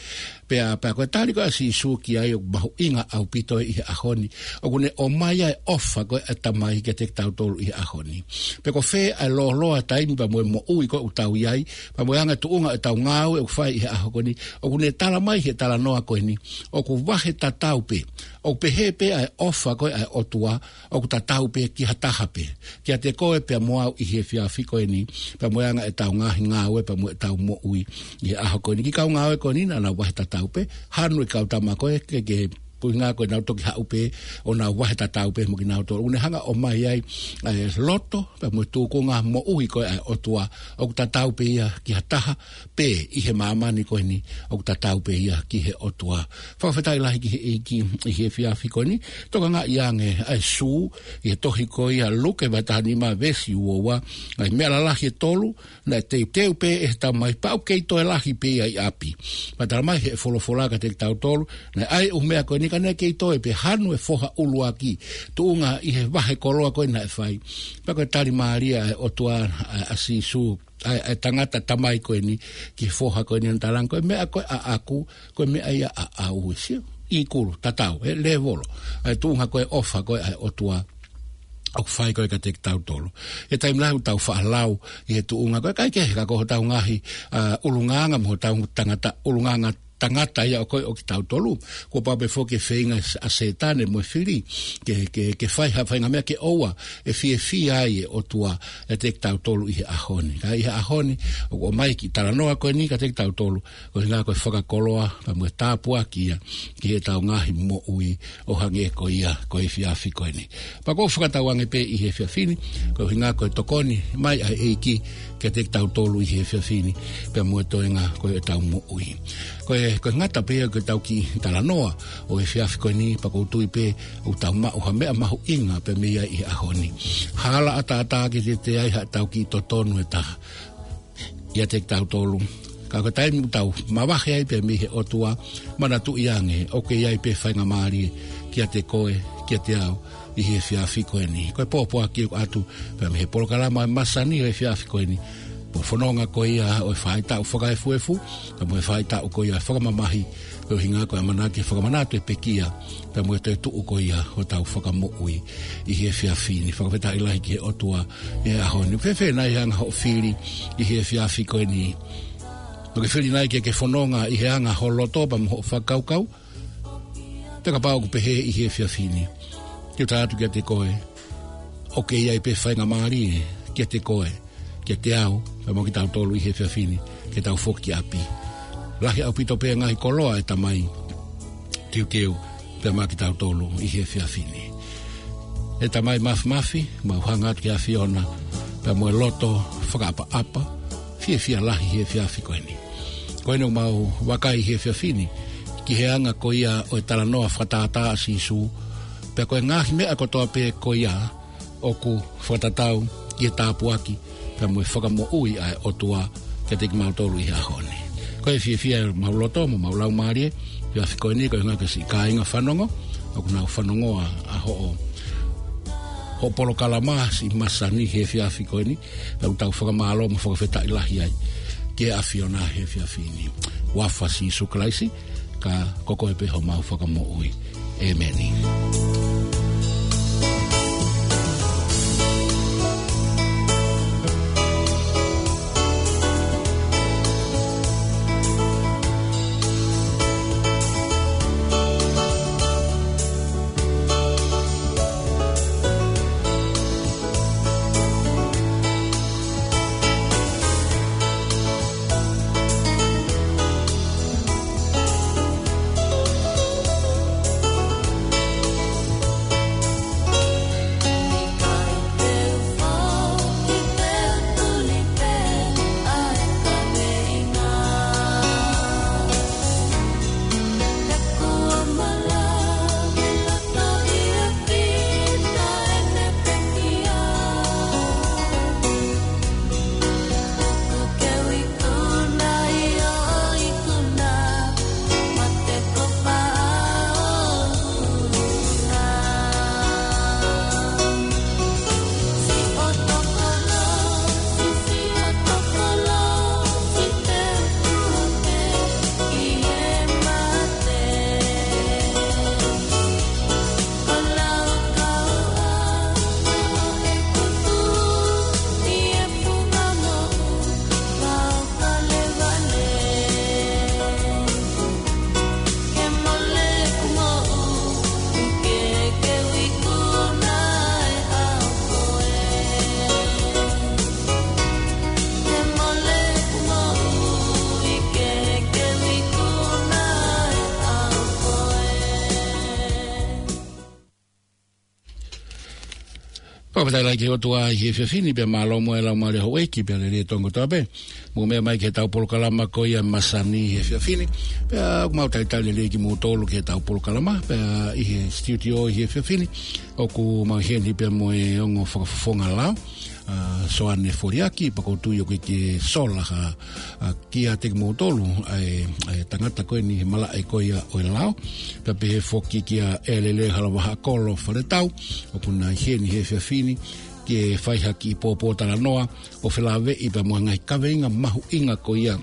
pea, pea ko e tali ko ē ʻa Sīsū ki ai ʻoku mahuʻinga ʻaupito ʻi he ʻaho ni. ʻOku ne ʻomai ʻa e ʻofa ko ē ʻa e Tamai kiate kitautolu ʻi he ʻaho ni. Pe ko fē ʻa e lōloa taimi pea mo e moʻui ko ē ʻoku tau ʻi ai, pea mo e anga e tuʻunga ʻetau ngāue ʻoku fai ʻi he ʻaho ko eni, ʻoku ne tala mai he talanoa ko eni, ʻoku vahe tatau pē, ʻoku pehē pē ʻa e ʻofa ko ē ʻa e ʻOtua, ʻoku tatau pē ki ha taha pē, kiate koe pea mo au ʻi he efiafi ko eni, pea mo e anga ʻetau ngaahi ngāue pea mo ʻetau moʻui ʻi he ʻaho ko eni. Kiʻi kau ngāue ko eni naʻa nau vahe tatau pē, hanu e kau tama ko ē ke, ke ʻuhinga ko ʻenau toki haʻu pē ʻo nau vahe tatau pē mo kinautolu. ʻOku ne hanga ʻo ʻomai ai ʻa e loto pea mo e tūkunga moʻui ko ē ʻa e ʻOtua, ʻoku tatau pē ia ki ha taha pē ʻi he māmani ko eni, ʻoku tatau pē ia ki he ʻOtua. Fakafetaʻi lahi ki he ʻEiki ʻi he efiafi ko eni. Tokangaʻi ange ʻa e sū ʻi he tohi ko ia ʻa Luke vahe taha nima veesi ua ua, ʻa e meʻa lalahi ʻe tolu naʻe teuteu pē ʻe he Tamai pea ʻoku kei toe lahi pē ia ʻi ʻapi. Pea tala mai ʻe he folofola kiate kitautolu, naʻe ʻi ai e ʻū meʻa ko eni ka naʻe kei toe pē, hanu e foha ʻuluaki, tuʻunga ʻi he vahe koloa ko ē naʻe fai. Pea ko e tali mālie ʻa e ʻOtua, ʻa, ʻa Sīsū, ʻa e, ʻa e tangata tamai ko eni ki he foha ko eni, ʻo ne talaange, ko e meʻa ko ē ʻaʻaku, ko e meʻa ia ʻaʻau. Sio, ʻi kulu, tatau, ʻe lēvolo ʻa e tuʻunga ko ē ʻofa ko ē ʻa e ʻOtua ʻoku fai ko ē kiate kitautolu. ʻI he taimi lahi ʻoku tau faʻa lau ʻi he tuʻunga ko ē, ʻikai ke heka ko hotau ngaahi, ʻa, ʻulungaanga mo hotau tangata, ʻulungaanga tangata ia ʻo ko ē ʻo kitautolu. Kuo pau pē foki e feinga ʻa Sētane mo e fili ke, ke, ke fai ha faʻahinga meʻa ke ʻoua ʻe fiefia ai e ʻOtua ʻiate kitautolu ʻi he ʻaho ni. Ka ʻi he ʻaho ni, ʻoku ʻomai e kiʻi talanoa ko eni kiate kitautolu, ko e ʻuhinga ko e fakakoloa pea mo e tāpuaki ia ki heʻetau ngaahi moʻui ʻo hangē ko ia ko e efiafi ko eni. Pea ʻoku ou fakatauange pē ʻi he efiafi ni, ko e ʻuhinga ko e tokoni mai ʻa e ʻEiki kiate kitautolu ʻi he efiafi ni, pea mo e toenga ko ē ʻetau moʻui. Ko e, ko e ngata pē ia ko ʻetau kiʻi talanoa ʻo e efiafi ko eni, pea ʻoku ou tui pē ʻoku tau maʻu ha meʻa mahuʻinga pē mei ai ʻi he ʻaho ni. Hala ʻataʻatā ke teuteu ai haʻatau kiʻi totonu ʻe taha ʻiate kitautolu. Ka ko e taimi ʻoku tau mavahe ai pē mei he ʻOtua, manatuʻi ange, ʻoku ʻi ai pē faingamālie kiate koe, kiate au, ʻi he efiafi ko eni. Ko e pōpoaki ʻoku ʻoatu pē mei he polokalama ʻo e masani ʻo e efiafi ko eni. Ko e fononga ko ia ʻo e faʻahitaʻu fakaefuefu, pea mo e faʻahitaʻu ko ia fakamamahi, ko e ʻuhinga ko e ʻamanaki fakamanatu e pekia, pea mo e toetuʻu ko ia hotau Fakamoʻui ʻi he efiafi ni. Fakafetaʻi lahi ki he ʻOtua he ʻaho ni. Fēfē nai e anga hoʻo fili ʻi he efiafi ko eni? ʻOku ke fili nai ke ke fononga ʻi he anga ho loto pea mo hoʻo fakakaukau? Pea kapau ʻoku pehē ʻi he efiafi ni, ke u tala atu kiate koe, ʻoku ʻi ai pē faingamālie kiate koe, kiate au, pea mo kitautolu ʻi he efiafi ni, ke tau foki ki ʻapi. Lahi ʻaupito pē ngaahi koloa ʻe Tamai, teuteu pē maʻa kitautolu ʻi he efiafi ni. ʻE Tamai Mafimafi, mau hanga atu ki he ʻAfiona pea mo e loto fakaʻapaʻapa, fiefia lahi he efiafi ko eni. Ko eni ʻoku mau vakai he efiafi ni ki he anga ko ia ʻo e talanoa fakatātā ʻa Sīsū, pea ko e ngaahi meʻa kotoa pē ko ia ʻoku fakatatau ki he tāpuaki pea mo e fakamoʻui ʻa e ʻOtua kiate kimautolu ʻi he ʻaho ni. Ko e fiefia ʻemau loto mo ʻemau laumālie he efiafi ko eni, ko e ʻuhinga ki he siʻi kāinga fanongo ʻoku nau fanongoa ʻa hoʻo, hoʻo polokalama siʻi masani he efiafi ko eni, pea ʻoku tau fakamālō mo fakafetaʻi lahi ai ki he ʻAfiona he efiafi ni. Huafa ʻo Sīsū Kalaisi, ka ko koe pē homau Fakamoʻui. ʻĒmeni. Fakafetaʻi lahi ki he ʻOtua ʻi he efiafi ni, pea mālō mo e laumālie houʻeiki, pea lelei e Tonga kotoa pē. Mou meʻa mai ki heʻetau polokalama ko ia masani he efiafi ni. Pea ʻoku mau talitali lelei kimoutolu ki heʻetau polokalama, pea ʻi he studio ʻi he efiafi ni ʻoku mau ʻi heni pea mo e ongo fakafofonga lao, ʻa Soane Foliaki, pea ʻoku ou tui ʻoku ʻikai ke sola ha, ʻa, kiate kimoutolu ʻa e, ʻa e tangata ko eni he malaʻe ko ia ʻo e lao. Pea pehē foki kia ʻElele Halavaha Kolo Faletau, ʻoku na ʻi heni he efiafi ni ke fai ha kiʻi pōpōtalanoa ʻo felāveʻi pea mo e ngaahi kaveinga mahuʻinga ko ia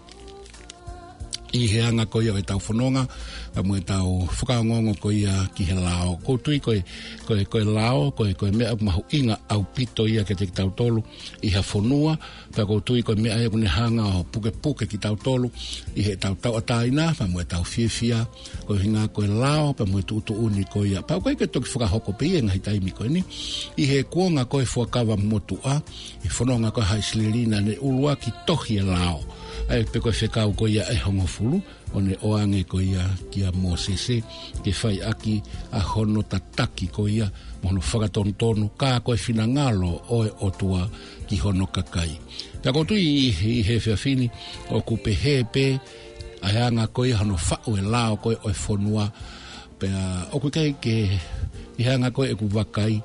ʻi he anga ko ia ʻo ʻetau fononga, pea mo ʻetau fakaongoongo ko ia ki he lao. ʻOku ou tui ko e, ko e, ko e lao, ko e, ko e meʻa mahuʻinga ʻaupito ia kiate kitautolu ʻi ha fonua, pea ʻoku ou tui ko e meʻa ia ʻoku ne hanga ʻo pukepuke kitautolu ʻi heʻetau tauʻatāina, pea mo ʻetau fiefia, ko e ʻuhinga ko e lao, pea mo e tuʻutuʻuni ko ia. Pea ʻoku ʻikai ke toki fakahoko pē ia he ngaahi taimi ko eni, ʻi he kuonga ko e Fuakava Motuʻa, ʻi he fononga ko e Haʻa ʻIsileli naʻa ne ʻuluaki tohi e lao. ʻA ia pē ko e Fekau ko ia ʻe hongofulu, ʻo ne ʻoange ko ia kia Mōsese, ke fai ʻaki ʻa hono tataki ko ia, mo hono fakatonutonu, ka ko e finangalo ʻo e ʻOtua ki hono kakai. Pea ʻoku ou tui ʻi, ʻi he efiafi ni, ʻoku pehē pē ʻa e anga ko ia hono faʻu e lao ko ē ʻo e fonua, pea ʻoku ʻikai ke, ʻi he anga ko ē ʻeku vakai,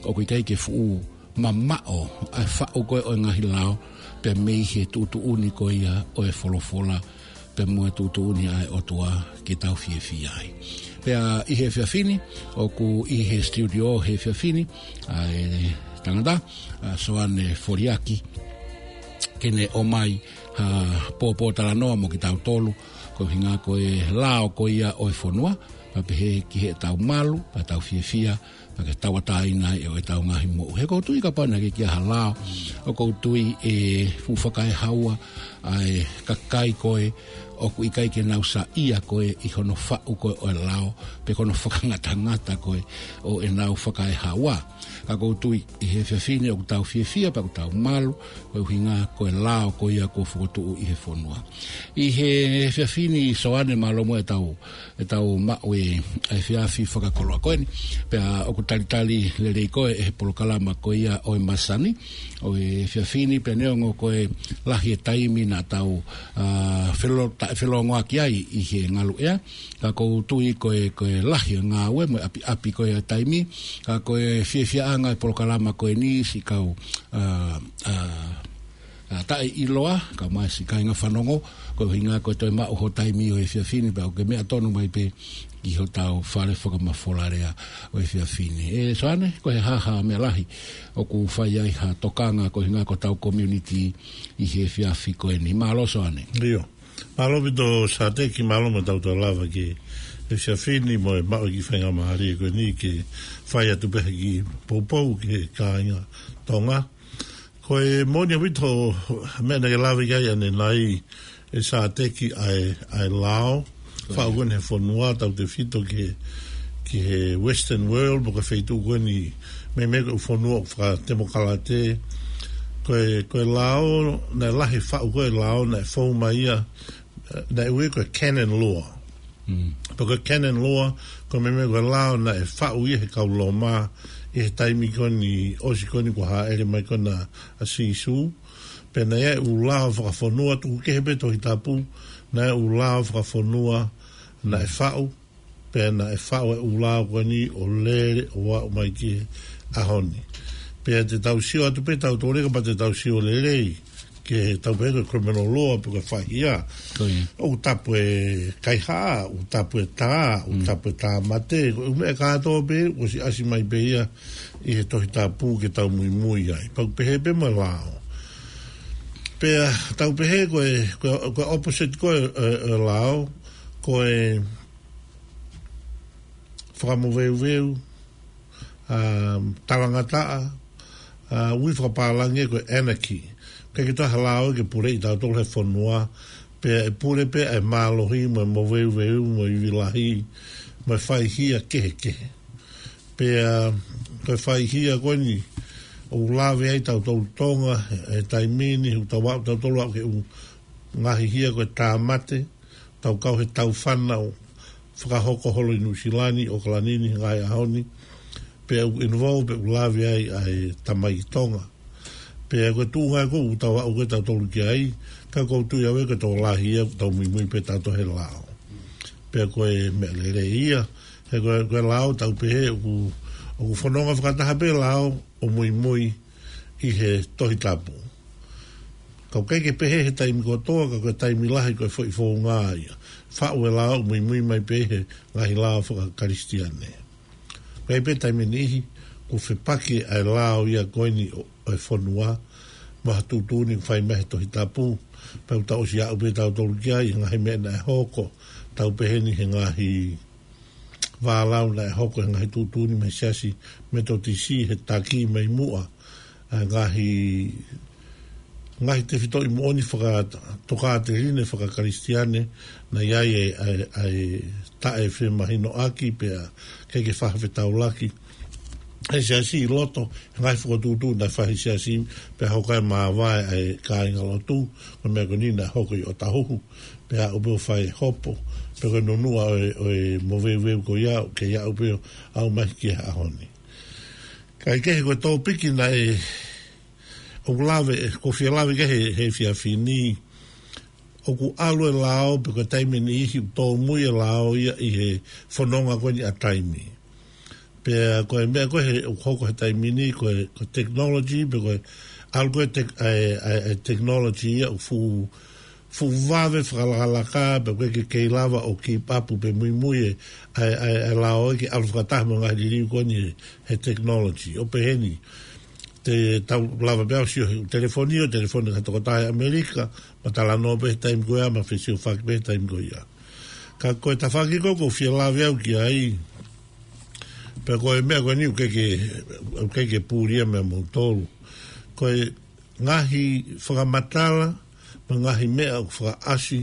ʻoku ʻikai ke fuʻu mamaʻo ʻa e faʻu ko ē ʻo e ngaahi lao, pea mei he tuʻutuʻuni ko ia ʻo e folofola, pea mo e tuʻutuʻuni ʻa e ʻOtua ke tau fiefia ai. Pea ʻi he efiafi ni, ʻoku ʻi he studio he efiafi ni, ʻa e tangata, ʻa Soane Foliaki, ke ne ʻomai ha pōpōtalanoa mo kitautolu, ko e ʻuhinga ko e lao ko ia ʻo e fonua, pea pehē ki heʻetau malu, pea tau fiefia, pea ke tauʻatāina ai ʻo ʻetau ngaahi moʻui. He ʻoku ou tui kapau naʻe ʻikai ke ʻi ai ha lao, ʻoku ou tui ʻe fuʻu fakaehaua ʻa e kakai ko ē ʻoku ʻikai ke nau saiʻia ko ē ʻi hono faʻu ko ē ʻo e lao, pe ko hono fakangatangata ko ē ʻo ʻenau fakaehaua. Ka ʻoku ou tui ʻi he efiafi ni ʻoku tau fiefia pea ʻoku tau malu, ko e ʻuhinga ko e lao ko ia kuo fokotuʻu ʻi he fonua. ʻI he efiafi ni Soane, mālō muʻa ʻetau ʻetau maʻu e efiafi fakakoloa ko eni. Pea ʻoku talitali lelei koe ʻe he polokalama ko ia ʻo e masani ʻo e efiafi ni, pea neongo ko e lahi e taimi naʻa tau, ʻa, felo-, ta-, felōngoaki ai ʻi he ngaluʻea. Ka ʻoku ou tui ko e, ko e lahi e ngāue mo e ʻapiʻapi ko e taimi. Ka ko e fiefiaʻanga e polokalama ko eni siʻi kau, ʻa, ʻa, ʻa, taʻeʻiloa, kae ʻumaʻā siʻi kāinga fanongo, ko e ʻuhinga ko e toe maʻu ho taimi ʻo e efiafi ni, pea ʻoku ke meʻa tonu mai pē ki hotau fale fakamafola lea ʻo e efiafi ni. ʻE Soane, ko e hā ha meʻa lahi ʻoku fai ai ha tokanga ko e ʻuhinga ko hotau community ʻi he efiafi ko eni. Mālō Soane. ʻIo. Mālō ʻaupito Sateki, mālō mo ʻetau toe lava ki he efiafi ni mo e maʻu e kiʻi faingamālie ko eni ke fai atu pē ha kiʻi poupou ki he kāinga Tonga. Ko e moʻoni ʻaupito e meʻa naʻe lave ki ai ʻanenai ʻe Sateki ʻa e, ʻa e lao, faʻu ko eni he fonua tautefito ki he, ki he Western world, mo e feituʻu ko eni meimei ko e fonua ʻoku fakatemokalate. Ko e, ko e lao, naʻe lahi e faʻu ko e lao, naʻe fou mai ia, naʻe ui ko e canon law. Mm. Pea ko e canon law, ko e meimei ko e lao naʻe faʻu ia he kau Loma, ʻi he taimi ko eni, ʻosi ko eni kuo hāʻele mai ko ena ʻa Sīsū. Pea naʻe ʻi ai e ʻū lao fakafonua, tuku kehe pē Tohi Tapu, naʻe ʻi ai e ʻū lao fakafonua naʻe faʻu, pea naʻe faʻu e ʻū lao ko eni ʻo lele ʻo aʻu mai ki he ʻaho ni. Pea te tau sio atu pē tautolu, kapau te tau sio lelei ki he tau pehē ko e criminal law pe ko e faihia. Ko ia. ʻOku tapu e kaihaʻa, ʻoku tapu e tā, ʻoku Mm. tapu e tāmate, ko e ʻū meʻa kātoa pē, ʻosi ʻasi mai pē ia ʻi he Tohi Tapu ke tau muimui ai. Pea ʻoku pehē pē mo e lao. Pea tau pehē ko e, ko e, ko e opposite ko e, e, e lao, ko e fakamoveuveu, ʻa, talangataʻa, ʻa, ui fakapālangi ko e anarchy. ʻIkai ke toe ʻi ai ha lao ia ke puleʻi tautolu he fonua, pea ʻe pule pē ʻa e mālohi mo e moveuveu mo e ivi lahi mo e faihia kehekehe. Pea ko e faihia ko eni ʻoku lave ai tautolu Tonga he taimi ni, ʻoku tau aʻu tautolu aʻu ki he ʻū ngaahi hia ko e tāmate, tau kau he tau fānau fakahoko holo ʻi Nuʻusila ni, ʻAokalani ni, he ngaahi ʻaho ni, pea ʻoku involve, pea ʻoku lave ai ʻa e tamaiki Tonga. Pea ko e tuʻunga ko ē ʻoku tau aʻu ko ē tautolu ki ai, ka ʻoku ou tui au ē ko e tokolahi ia ʻoku tau muimui pē tautolu he lao. Pea ko e meʻa lelei ia, he ko e, ko e lao tau pehē ʻoku, ʻoku fononga fakataha pē lao ʻo muimui ʻi he Tohi Tapu. Ka ʻoku ʻikai ke pehē he taimi kotoa, ka ko e taimi lahi ko e foʻi founga ia. Faʻu e lao ʻo muimui mai pē he ngaahi lao fakakalisitiane. Pea ʻi he taimi ʻe niʻihi, ʻoku fepaki ʻa e lao ia ko eni ʻo, ʻo e fonua, mo ha tuʻutuʻuni ʻoku fai mai he Tohi Tapu, pea ʻoku tau ʻosi aʻu pē tautolu ki ai, ngaahi meʻa naʻe hoko, tau pehē ni he ngaahi vālau naʻe hoko he ngaahi tuʻutuʻuni mei he Siasi Metotisi he taki mai muʻa, ʻa e ngaahi, ngaahi tefitoʻi moʻoni fakatokāteline fakakalisitiane, naʻe ʻi ai e, ʻa e, ʻa e taʻefemahinoʻaki pea ʻikai ke fakafetaulaki ʻe he Siasi ʻi loto, he ngaahi fokotuʻutuʻu naʻe fai he Siasi, pea hoko ai e māvae ʻa e kāingalotu, ko e meʻa ko eni naʻe hoko ʻi ʻOtahuhu, pea aʻu pē ʻo fai e hopo, pea ko e nunuʻa ʻo e, ʻo e moveuveu ko ia, ʻoku kei aʻu pē ʻo aʻu mai ki he ʻaho ni. Kae kehe ko e tōpiki naʻe, ʻoku lave, ʻoku ou fie lave ki ai he, he efiafi ni, ʻoku ʻalu e lao, pe ko e taimi ʻe niʻihi ʻoku tōmui e lao ia ʻi he fononga ko eni ʻa taimi. Pea ko e meʻa ko ē he, ʻoku hoko he taimi ni, ko e, ko e technology, pe ko e ʻAlu ko ē tek-, ʻa e, ʻa e, ʻa e technology ia ʻoku fuʻu, fuʻu vave fakalakalaka, pea ʻoku ʻikai ke kei lava ʻo keep up pe muimui ʻa e, ʻa e, ʻa e, ʻa e lao ē ke ʻalu fakataha mo e ngaahi liliu ko eni he, he technology. ʻO pehē ni, te tau lava pē ʻo sio he telefoni, ʻo telefoni ki ha tokotaha ʻi ʻAmelika, mo talanoa pē he taimi ko ia, mo fesiofaki pē he taimi ko ia. Ka ko e tafaʻaki ko ē ʻoku ou fie lave au ki ai, pea ko e meʻa ko eni ʻoku ʻikai ke, ʻoku ʻikai ke puli ia meia moutolu. Ko e ngaahi fakamatala, mo e ngaahi meʻa ʻoku fakaʻasi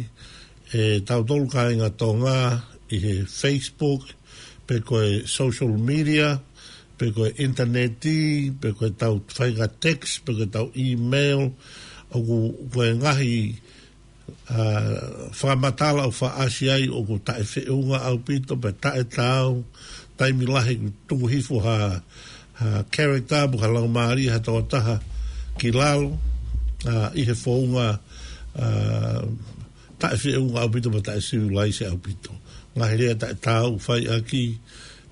ʻe tautolu kāinga Tonga ʻi he Facebook, pe ko e social media, pe ko e ʻinitaneti, pe ko ʻetau faʻahinga text, pe ko ʻetau email, ʻoku, ko e ngaahi, ʻa, fakamatala ʻoku fakaʻasi ai ʻoku taʻefeʻunga ʻaupito, pe taʻetaau, taimi lahi ʻoku tuku hifo ha, ha character, pe ko ha laumālie ha tokotaha ki lalo, ʻa, ʻi he founga, ʻa, taʻefeʻunga ʻaupito, pe taʻecivilized ʻaupito. Ngaahi lea taʻetaau ʻoku fai ʻaki,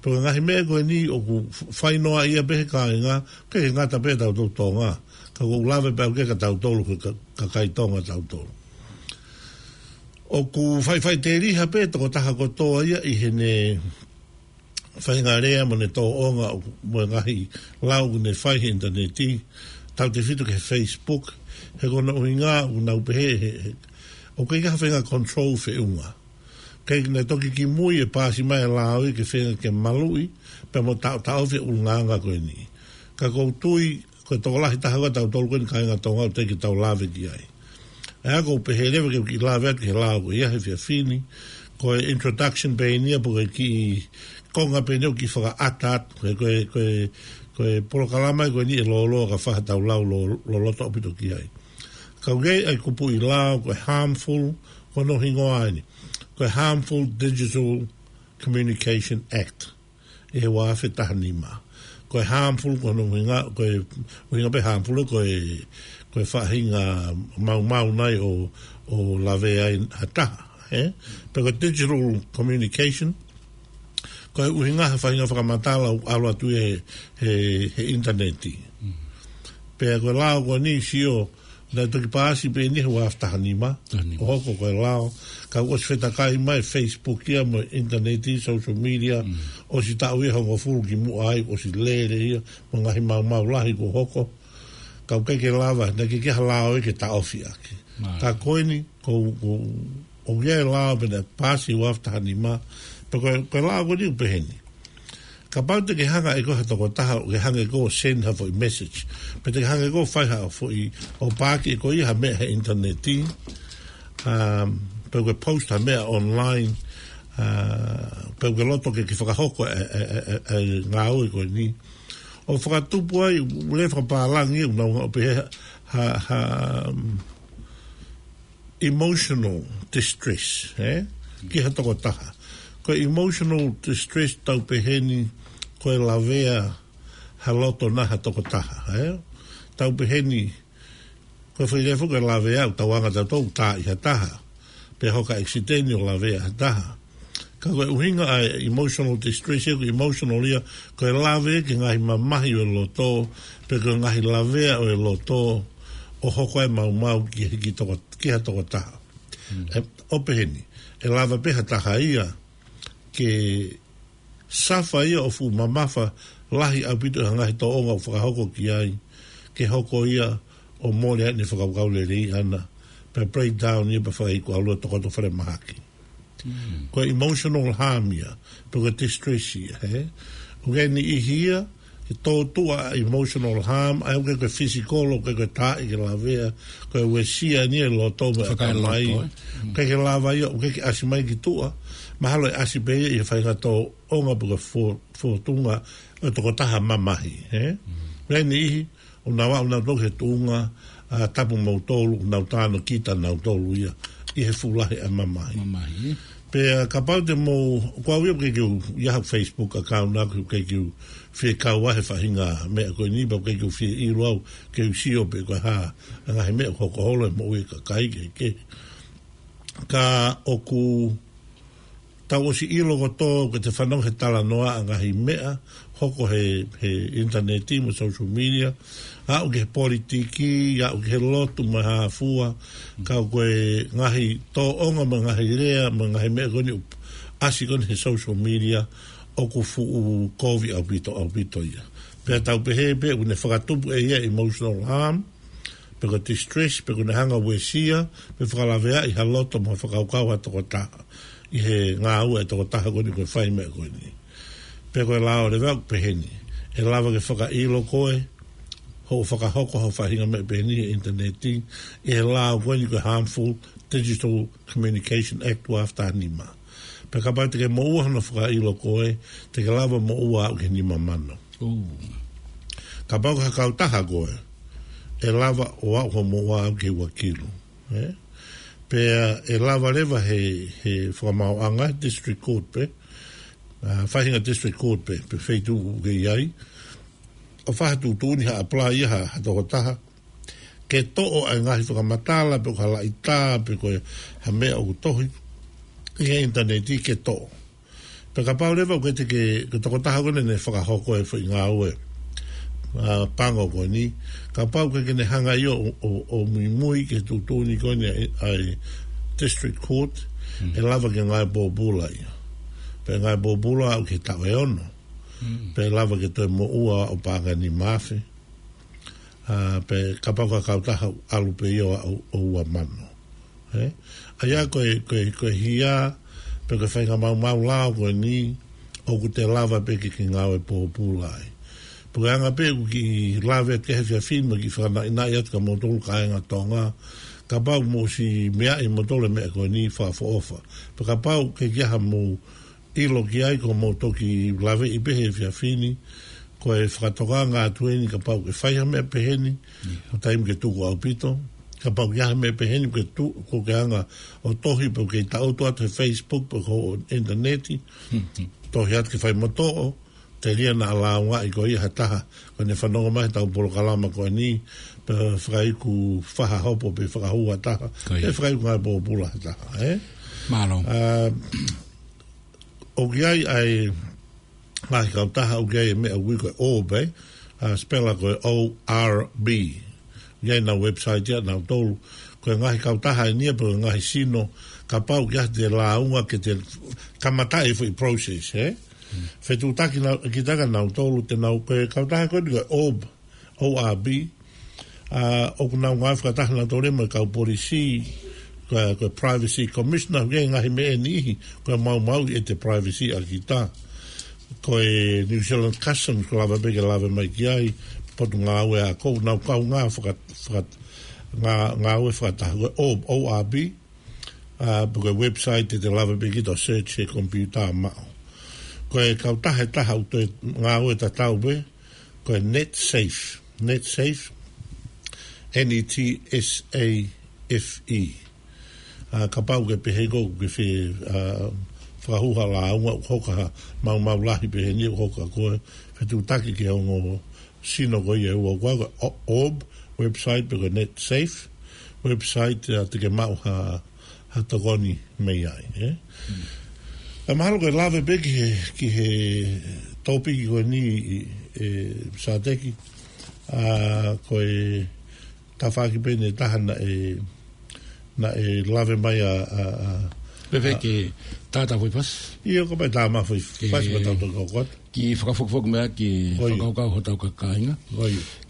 pe ko e ngaahi meʻa ko eni ʻoku f-, fai noaʻia pē he kāinga, ʻikai ke ngata pē tautolu Tonga. Ka ʻoku ou lave pē au ki he ka tautolu, ka, ka, kakai Tonga tautolu. ʻOku faʻifaʻiteliha pē tokotaha kotoa ia ʻi heʻene faʻahinga lea mo ʻene tōʻonga ʻo, mo e ngaahi lau ʻoku ne fai he ʻinitaneti, tautefito ki he Facebook, he ko hono ʻuhinga ʻoku nau pehē he, he, ʻoku ʻikai ke ʻi ai ha faʻahinga control feʻunga. ʻIkai ke ne toki kimui ʻe paasi mai e lao ia ke feinga ke maluʻi, pea mo taʻo, taʻofi e ʻulungaanga ko eni. Ka ʻoku ou tui, ko e tokolahi taha ko ē tautolu ko eni kāinga Tonga ʻoku teʻeki ke tau lave ki ai. ʻA ia ʻoku ou pehē leva ke u kiʻi lave atu ki he lao ko ia he efiafi ni, ko e introduction pē eni ia pe ko e kiʻi konga pē eni ʻoku kiʻi fakaʻata atu, he ko e, ko e, ko e polokalama ko eni ʻe lōloa ka fai haʻatau lau lo-, loloto ʻaupito ki ai. Ka ʻoku ʻi ai e kupuʻi lao, ko e harmful, ko hono hingoa eni. Ko e Harmful Digital Communication Act. ʻI he ua afe taha nima. Ko e harmful, ko hono ʻuhinga, ko e ʻuhinga pē harmful, ko e, ko e faʻahinga maumau nai ʻo, ʻo lavea ai ha taha, ē? Pe ko e digital communication, ko e ʻuhinga ha faʻahinga fakamatala ʻoku ʻalu atu he, he, he ʻinitaneti. Mm. Pea ko e lao ko eni sio, naʻe toki paasi pē eni he ua afe taha nima. Taha nima. ʻO hoko ko e lao. Ka ʻoku ʻosi fetakai mai Facebook ia mo e ʻinitaneti, social media, Mm. ʻosi taʻu ia hongofulu kimuʻa ai, ʻosi lele ia, mo e ngaahi maumau lahi kuo hoko. Ka ʻoku ʻikai ke lava, naʻe ʻikai ke ʻi ai ha lao ia ke taʻofi ʻaki. Mai. Ka ko eni, ko, ko, ʻoku ʻi ai e lao pē naʻe paasi ua afe taha nima. Pea ko e, ko e lao ko eni ʻoku pehē ni. Kapau te ke hanga ʻe koe ha tokotaha, ke hanga ʻe koe ʻo send ha foʻi message. Pe te ke hanga ʻe koe ʻo fai ha foʻi, ʻo paaki ʻe koe ia ha meʻa he ʻinitaneti. Um, pe ke post ha meʻa online. Uh, pe ke loto ke, ke fakahoko e, e, e, e, e ngāue ko eni. ʻO fakatupu ai, lea fakapālangi, ʻoku nau ʻo pehē ha, ha, um, emotional distress, ē? Ki ha tokotaha. Ko e emotional distress tau pehē ni ko e lavea ha loto naʻa ha tokotaha, ē? Tau pehē ni, ko e foʻi lea foki ko e lavea ʻoku tau anga tautolu tā ʻi ha taha. Pe hoko ha ʻekisiteni ʻo lavea ha taha. Ka ko e ʻuhinga ʻa e emotional distress, ʻoku emotional ia, ko e lave ki he ngaahi mamahi ʻo e loto, pe ko e ngaahi lavea ʻo e loto, ʻo hoko ai e maumau ki he, ki toko, ki ha tokotaha. Mm. Ē, ʻo pehē ni, ʻe lava pē ha taha ia, ke suffer ia ʻo fuʻu mamafa lahi ʻaupito he ngaahi tōʻonga ʻoku fakahoko ki ai, ke hoko ia ʻo mole ai ʻene fakakaukau lelei ʻana, pea breakdown ia pea fakaʻikuʻalu ʻo tokoto falemahaki. Mm. Ko e emotional harm ia, pe ko e distress ia, ē? ʻOku ʻi ai e niʻihi ia, ke tōtuʻa emotional harm, ʻa ia ʻoku ʻikai ko e physical, ʻoku ʻikai ko e taaʻi ke lavea, ko e uesia eni e loto mo e ʻatamai. Fakaeloto, ē? Mm. ʻIkai ke lava ia, ʻoku ʻikai ke ʻasi mai ki tuʻa, mahalo ʻe ʻasi pē ia ʻi he faʻahinga tōʻonga pe ko e fō-, fōtunga ʻo e tokotaha mamahi, ē? Mm. ʻOku ʻi ai e niʻihi, ʻoku nau aʻu nautolu ki he tuʻunga, ʻa, tapu moutolu, ʻoku nau tānaki ʻa nautolu ia, ʻi he fuʻu lahi ʻa e mamahi. Mamahi. Pea kapau te mou, ko au ia ʻoku ʻikai ke u ʻi ai haʻaku Facebook account ʻaʻaku, ʻoku ʻikai ke u fie kau ai he faʻahinga meʻa ko eni, pea ʻoku ʻikai ke u fie ʻilo au, ke u sio pe ko e hā, ʻa e ngaahi meʻa ʻoku hoko holo he moʻui ʻa e kakai kehekehe. Ka ʻoku tau ʻosi ʻilo kotoa ʻoku te fanongo he talanoa ʻa e ngaahi meʻa hoko he, he ʻinitaneti mo e social media, aʻu ki he politiki, aʻu ki he lotu mo e hā fua, ka ko e ngaahi tōʻonga mo e ngaahi lea mo e ngaahi meʻa ko eni ʻoku ʻasi ko eni he social media, ʻoku fuʻu kovi ʻaupito, ʻaupito ia. Pea tau pehē pē ʻoku ne fakatupu ʻe ia emotional harm, pe ko e distress, pe ʻoku ne hanga ʻo uesia, pe fakalaveaʻi ha loto mo e fakakaukau ʻa e tokotaha ʻi he ngāue ʻa e tokotaha ko eni ʻoku fai e meʻa ko eni. Pea ko e lao leva ʻoku pehē ni, ʻe lava ke fakaʻilo koe hoʻo fakahoko ha faʻahinga meʻa pehē ni he ʻinitaneti, ʻi he lao ko eni ko e Harmful Digital Communication Act ua afe taha nima. Pea kapau te ke moʻua hono fakaʻilo koe, te ke lava moʻua aʻu ki he nima mano. Kapau ko ha kautaha koe, ʻe lava ʻo aʻu hoʻo moʻua aʻu ki he ua kilu. Ē? Pea ʻe lava leva he, he fakamaauʻanga, district court pē, ʻa, faʻahinga district court pē, pe feituʻu ʻoku ke ʻi ai, ʻo fai ha tuʻutuʻuni, ha apply ia ha, ha tokotaha ke toʻo ʻa e ngaahi fakamatala, pe ko ha laʻitā, pe ko ha meʻa ʻoku tohi ʻi he ʻinitaneti ke toʻo. Pea kapau leva ʻoku ʻikai te ke, ko e tokotaha ko eni naʻe fakahoko e foʻi ngāue, ʻa, pango ko eni, kapau ʻoku ʻikai ke ne hanga ʻe ia ʻo, ʻo, ʻo muimui ki he tuʻutuʻuni ko eni ʻa e, ʻa e district court, ʻe lava ke ngāue pōpula ia. Pea ngāue pōpula aʻu ki he taʻu ʻe ono. Pea lava ke toe moʻua ʻo paʻanga ʻe nima afe. ʻA, pea kapau ko ha kautaha ʻalu pē ia ʻo, ʻo ua mano. Ē? ʻA ia ko e, ko e, ko e hia, pe ko e faʻahinga maumau lao ko eni, ʻoku te lava pē ke ke ngāue pōpula ai. Pea ko e anga pē ʻoku kiʻi lave atu ki he efiafi ni mo kiʻi fakanaʻinaʻi atu kia moutolu kāinga Tonga, kapau mou ʻosi meaʻi ʻe moutolu e meʻa ko eni, fakaʻofoʻofa. Pea kapau ʻoku ʻikai ha mou ʻilo ki ai, ko hoʻomou toki laveʻi pē he efiafi ni, ko e fakatokanga atu eni kapau ʻoku ke fai ha meʻa pehē ni, ko e taimi ke tuku ʻaupito, kapau ʻoku ʻi ai ha meʻa pehē ni, ke tu-, ʻoku ke hanga ʻo tohi pe ʻoku ke taʻutu atu he Facebook pe ko e ʻinitaneti, tohi atu ke fai mo toʻo, telia naʻa lāungaʻi koe ʻe ha taha, ko ʻene fanongo mai heʻetau polokalama ko eni, pe fakaiku faha hopo pe fakahū ha taha, pe fakaiku ngāue pōpula ha taha, ē? Mālō. ʻA, ʻoku ʻi ai ʻa e ngaahi kautaha ʻoku ʻi ai e meʻa ʻoku ui ko e orb, ē? ʻA, spela ko e O R B. ʻOku ʻi ai ʻenau website ia ʻanautolu. Ko e ngaahi kautaha eni ia pe ko e ngaahi sino, kapau ʻoku ʻi ai haʻate lāunga ke te kamataʻi e foʻi process, ē? Fetuʻutaki naʻa, kita kia nautolu te nau, ko e kautaha ko eni ko e orb, O R B, ʻa, ʻoku nau ngāue fakataha nautolu mo e kau polisi, ko e, ko e Privacy Commissioner, ʻoku ʻi ai e ngaahi meʻa ʻe niʻihi, ko e maumauʻi ʻete privacy ʻa kita. Ko e New Zealand Customs, ʻoku lava pē ke lave mai ki ai, Potungāue Ako, ʻoku nau kaungā faka-, faka-, ngā-, ngāue fakataha, ko e O R B, ʻa, pe ko e website te te lava pē kita ʻo search he computer maʻu. Ko e kautaha ʻe taha ʻoku toe ngāue tatau pē, ko e NetSafe. NetSafe, N E T S A F E. ʻA, kapau ʻoku ke pehē ʻoku ke fie, ʻa, fakahū ha lāunga ʻoku hoko ha maumau lahi pehē ni ʻoku hoko ʻa koe, fetuʻutaki ki he ongo sino ko ia ʻe ua, ko e O-, orb website pe ko e NetSafe website, ʻa, te ke maʻu ha, ha tokoni mei ai, ē? ʻA, mahalo ko e lave pē ki he, ki he tōpiki ko eni, ʻe, Sateki, ʻa, ko e tafaʻaki pē ʻe taha naʻe, naʻe lave mai ʻa, ʻa, ʻa, Pe fē ke tātā foʻi fasi. ʻIo, kapau ʻe tā mai foʻi fasi mo tau toki hoko atu. Kiʻi fakafokifoki mai ki he fakakaukau hotau kāinga.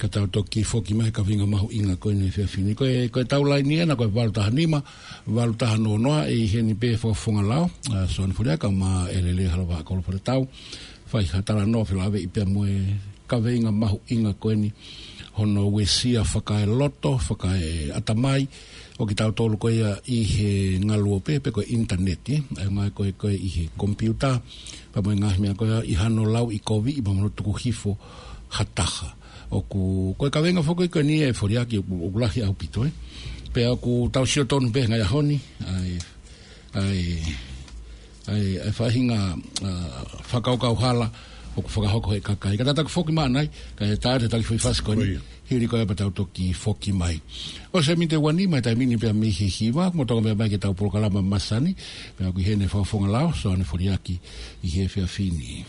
Ka tau toki foki mai ki he kaveinga mahuʻinga ko eni he efiafi ni. Ko e, ko ʻetau laini ena ko e valu taha nima, valu taha noa noa, ʻe ʻi heni pē fakafofonga lao, ʻa, Soane Foliaki mo ʻElele Halavakolo Foletau. Fai ha talanoa felāveʻi pea mo e kaveinga mahuʻinga ko eni, hono uesia fakaeloto, fakaeʻatamai ʻo kitautolu ko ia ʻi he ngaluope pe ko e ʻinitaneti, ʻa e ngaahi ko e, ko e ʻi he computer, pea mo e ngaahi meʻa ko ia ʻi hano lauʻikoviʻi pea mo hono tuku hifo ha taha. ʻOku, ko e kaveinga foki ko eni ʻe Foliaki ʻoku, ʻoku lahi ʻaupito, ē. Pea ʻoku tau sio tonu pē he ngaahi ʻaho ni, ʻa e, ʻa e, ʻa e, ʻa e faʻahinga, ʻa, fakakaukau hala ʻoku fakahoko he kakai. Ka tau toki foki mai ʻanai, kae ʻatā atu e taki foʻi fasi ko eni, ʻio, hili ko ia pea tau toki foki mai. ʻOsi e miniti ʻe ua nima he taimi ni pea mei he hiva, mou toki meʻa mai ki heʻetau polokalama masani, pea ʻoku ʻi heni e fakafofonga lao, Soane Foliaki, ʻi he efiafi ni.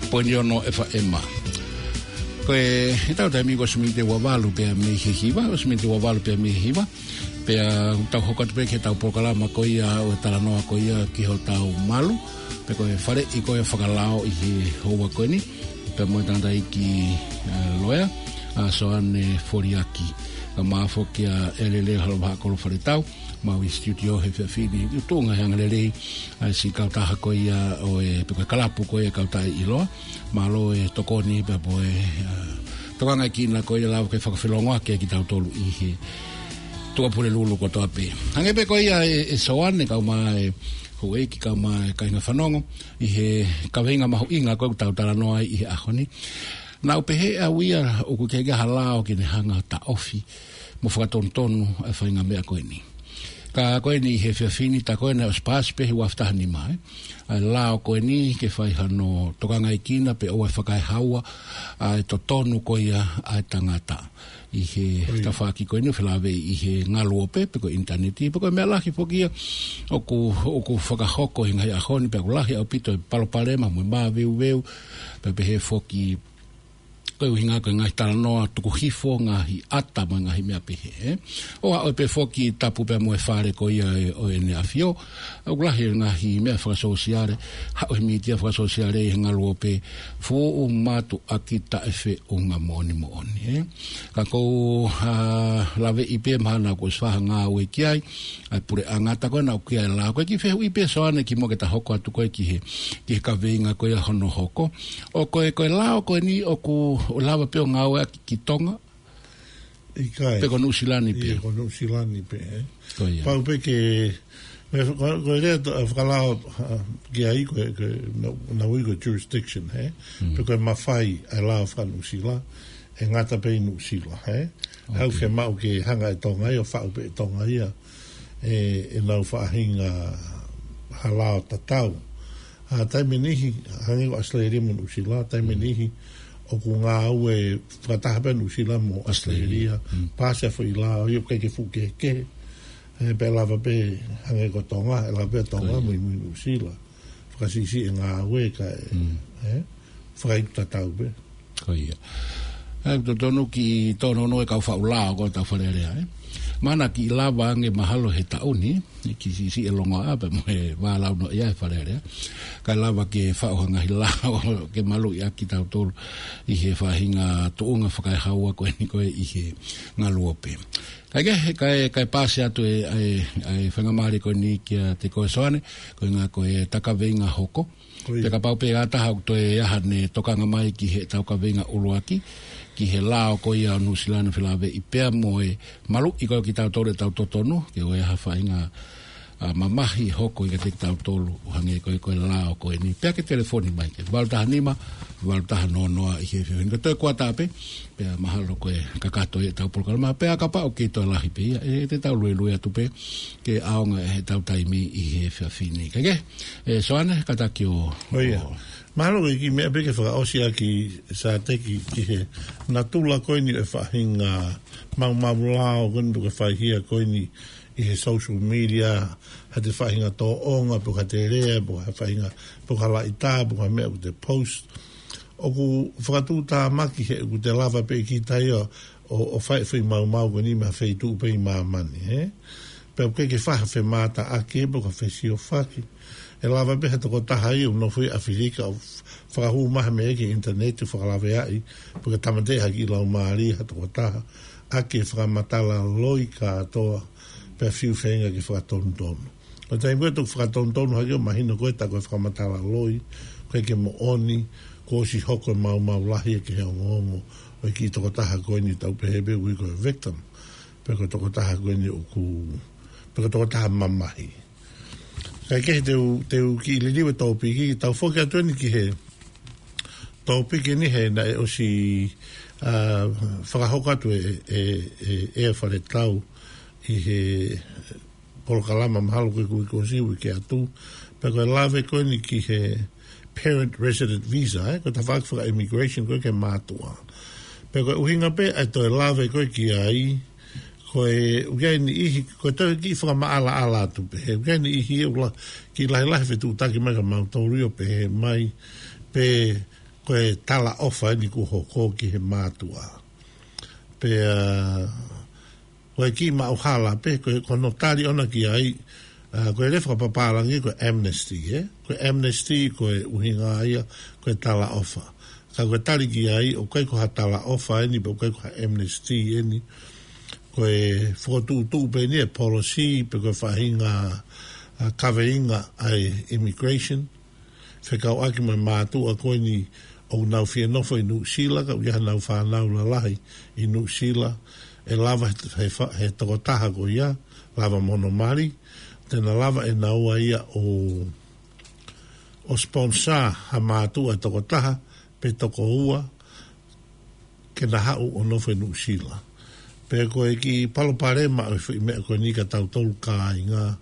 Poini ono F M. Ko e, ʻi heʻetau taimi ko e ʻosi miniti ʻe ua valu pea mei he hiva, ʻosi miniti ʻe ua valu pea mei he hiva. Pea tau hoko atu pē ki heʻetau polokalama ko ia ʻo e talanoa ko ia ki hotau malu. Pea ko e faleʻi ko ia fakalao ʻi he houa ko eni. Pea mo e tangataʻeiki, ē, loea, ʻa Soane Foliaki. Kae ʻumaʻā foki ʻa ʻElele Halavahakolo Faletau, maʻu ʻi he studio he efiafi ni, ʻi he tuʻunga he angalelei, ʻa e siʻi kautaha ko ia ʻo e, pe ko e kalapu ko ia ʻa e kautaha ʻiloa, mālō e tokoni pea mo e, ā, tokangaʻi kina ko ia lava ke fakafeʻiloaki kitautolu ʻi he tuʻapulelulu kotoa pē. Hangē pē ko ia ē, ē Soane kae ʻumaʻā e houʻeiki kae ʻumaʻā e kāinga fanongo, ʻi he kaveinga mahuʻinga ko ē ʻoku tau talanoa ai ʻi he ʻaho ni. Naʻá ku pehē ʻe au ia ʻoku ʻikai ke ʻi ai ha lao ke ne hanga ʻo taʻofi mo fakatonutonu ʻa e faʻahinga meʻa ko eni. Ka ko eni he efiafi ni, tā ko ē naʻe ʻosi paasi pē he ua afe taha nima, ē. ʻA e lao ko eni ke fai hano tokangaʻi kina pe ʻoua ʻe fakaehaua ʻa e totonu ko ia ʻa e tangata ʻi he, ʻio, tafaʻaki ko eni ʻo felāveʻi ʻi he ngaluope, pe ko e ʻinitaneti, pe ko e meʻa lahi foki ia ʻoku, ʻoku fakahoko he ngaahi ʻaho ni, pea ʻoku lahi ʻaupito e palopalema mo e maveuveu, pea pehē foki ko e ʻuhinga ko e ngaahi talanoa tuku hifo, ngaahi ʻata mo e ngaahi meʻa pehē, ē. ʻO aʻu pē foki tapu pea mo e fale ko ia ē ʻo ʻEne ʻAfio, ʻoku lahi e ngaahi meʻa fakasōsiale, haʻu he mītia fakasōsiale ʻi he ngaluope, fuʻu mātuʻaki taʻefeʻunga moʻoni moʻoni, ē. Ka ʻoku ou, ā, laveʻi pē mahalo naʻá ku ʻosi fakangāueʻaki ai, ʻa e puleʻanga, tā ko ē naʻá ku ʻi ai e lao. Ko e kiʻi fehuʻi pē Soane kimuʻa ke ta hoko atu ko ē ki he, ki he kaveinga ko ia hono hoko. ʻO ko e, ko e lao ko eni ʻoku, ʻoku lava pē ʻo ngāueʻaki ki Tonga? ʻIkai. Pe ko Nuʻusila ni pē? ʻIo, ko Nuʻusila ni pē, ē? Ko ia. Pau pē ke, me, ko, ko e lea to-, ʻa e fakalao, ā, ki ai ko e, ko e, naʻa, naʻa ui ko e jurisdiction, ē? Mm. Pe ko e mafai ʻa e lao faka-Nuʻusila, ʻe ngata pē ʻi Nuʻusila, ē? ʻOku, ʻoku fiemaʻu ke hanga ʻe Tonga ia ʻo faʻu pē ʻe Tonga ia ʻe, ʻenau faʻahinga ha lao tatau. ʻA, taimi ʻe niʻihi, hangē ko ʻAositelēlia mo Nuʻusila, taimi ʻe niʻihi ʻoku ngāue fakataha pē Nuʻusila mo ʻAositelēlia. ʻAositelēlia. Mm. Paasi ʻa e foʻi lao ia ʻoku ʻikai ke fuʻu kehekehe. Ē, pea lava pē hangē ko Tonga, ʻe lava pē Tonga, ko ia, muimui Nuʻusila. Fakasiʻisiʻi e ngāue kae, mm, ē, fakaiku tatau pē. Ko ia. ʻE totonu ke tōnounou e kau faʻu lao ko ē ʻetau Fale Alea, ē. Mahalo naʻa kiʻi lava ange mahalo he taʻu ni, ʻe kiʻi siʻisiʻi e longoaʻa pea mo e vālaunoaʻia he Fale Alea. Kae lava ke faʻu ha ngaahi lao ke maluʻi ʻaki kitautolu ʻi he faʻahinga tuʻunga fakaehaua ko eni ko ē ʻi he ngaluope. Kae kehe, kae, kae paasi atu e, e, e faingamālie ko eni kiate koe Soane, ko e ʻuhinga ko e ta kaveinga hoko. Ko ia. Pea kapau pē ʻe ʻi ai ha taha ʻoku toe ʻi ai haʻane tokanga mai ki heʻetau kaveinga ʻuluaki, ki he lao ko ia ʻo Nuʻusila naʻe felāveʻi pea mo e maluʻi ko ē kitautolu ʻetau totonu, ke ʻoua ʻe ʻi ai ha faʻahinga, ʻa, mamahi hoko ʻiate kitautolu, ʻo hangē ko ē ko e lao ko eni. Pea ke telefoni mai ki he valu taha nima, valu taha noa noa ʻi he efiafi ni. Ko e toe kuata pē, pea mahalo ko e kakato ʻetau polokalama, pea kapau ʻoku kei toe lahi pē ia, ʻe te tau luelue atu pē, ke ʻaonga ʻetau taimi ʻi he efiafi ni. Kae kehe, ē, Soane, kātaki ʻo, ʻo ia. Mahalo ko e kiʻi meʻa pē ke fakaʻosi ʻaki Sāteki ki he natula ko eni ʻo e faʻahinga maumau lao ko eni ʻoku fai hia ko eni ʻi he social media, ha te faʻahinga tōʻonga, pe ko ha te lea, pe ko ha faʻahinga, pe ko ha laʻitā, pe ko ha meʻa ʻoku te post. ʻOku fakatuʻutāmaki he ʻoku te lava pē kita ia ʻo, ʻo fai e foʻi maumau ko eni mei ha feituʻu pē ʻi māmani, ē? Pea ʻoku ʻikai ke fai ha femātaʻaki, pe ko ha fesiofaki. ʻE lava pē ha tokotaha ia ʻoku nofo ʻi ʻAfilika ʻo fakahū mai ha meʻa ki he ʻinitaneti ʻo fakalaveaʻi, pe ko e tāmateʻi ha kiʻi laumālie ha tokotaha, ʻaki e fakamatala loi kātoa, pea fiu feinga ke fakatonutonu. Ko e taimi ko ē ʻoku fakatonutonu hake ʻo mahino ko ē tā ko e fakamatala loi, ʻoku ʻikai ke moʻoni, kuo ʻosi hoko e maumau lahi ia ki he ongoongo ʻo e kiʻi tokotaha ko eni ʻoku tau pehē pē ʻoku ui ko e victim, pe ko e tokotaha ko eni ʻoku, pe ko e tokotaha mamahi. Kae kehe te u, te u kiʻi liliu e tōpiki, tau foki atu eni ki he tōpiki ni he naʻe ʻosi, ʻa, fakahoko atu ʻe, ʻe, ʻe, ʻe Faletau ʻi he polokalama mahalo ko e uike kuo ʻosi, uike atu. Pea ko e lave ko eni ki he parent resident visa, ē, ko e tafaʻaki faka-immigration ko ē ki he mātuʻa. Pea ko e ʻuhinga pē ʻa e toe lave ko ē ki ai, ko e ʻoku ʻi ai e niʻihi, ko e toe kiʻi fakamaʻalaʻala atu pē, he ʻoku ʻi ai e niʻihi ʻoku la-, kiʻi lahilahi fetuʻutaki mai kia mautolu ʻo pehē mai, pē ko e talaʻofa eni kuo hoko ki he mātuʻa. Pea, ko e kiʻi maʻuhala pē, ko e, ko hono tali ʻona ki ai, ʻa, ko e lea fakapapālangi ko e amnesty, ē? Ko e amnesty, ko e ʻuhinga ia, ko e talaʻofa. Ka ko e tali ki ai, ʻoku ʻikai ko ha talaʻofa eni, pe ʻoku ʻikai ko ha amnesty eni. Ko e fokotuʻutuʻu pē eni e policy, pe ko e faʻahinga, ʻa, kaveinga ʻa e immigration. Fekauʻaki mo e mātuʻa ko eni ʻoku nau fie nofo ʻi Nuʻusila, ka ʻoku ʻi ai haʻanau fānau lalahi ʻi Nuʻusila, ʻe lava he, he fa-, he tokotaha ko ia, lava mo hono mali, te na lava ʻe naua ia ʻo, ʻo sponsor ha mātuʻa ʻe tokotaha, pe tokoua, ke na haʻu ʻo nofo ʻi Nuʻusila. Pea ko e kiʻi palopalema ʻo e foʻi meʻa ko eni kia tautolu kāinga,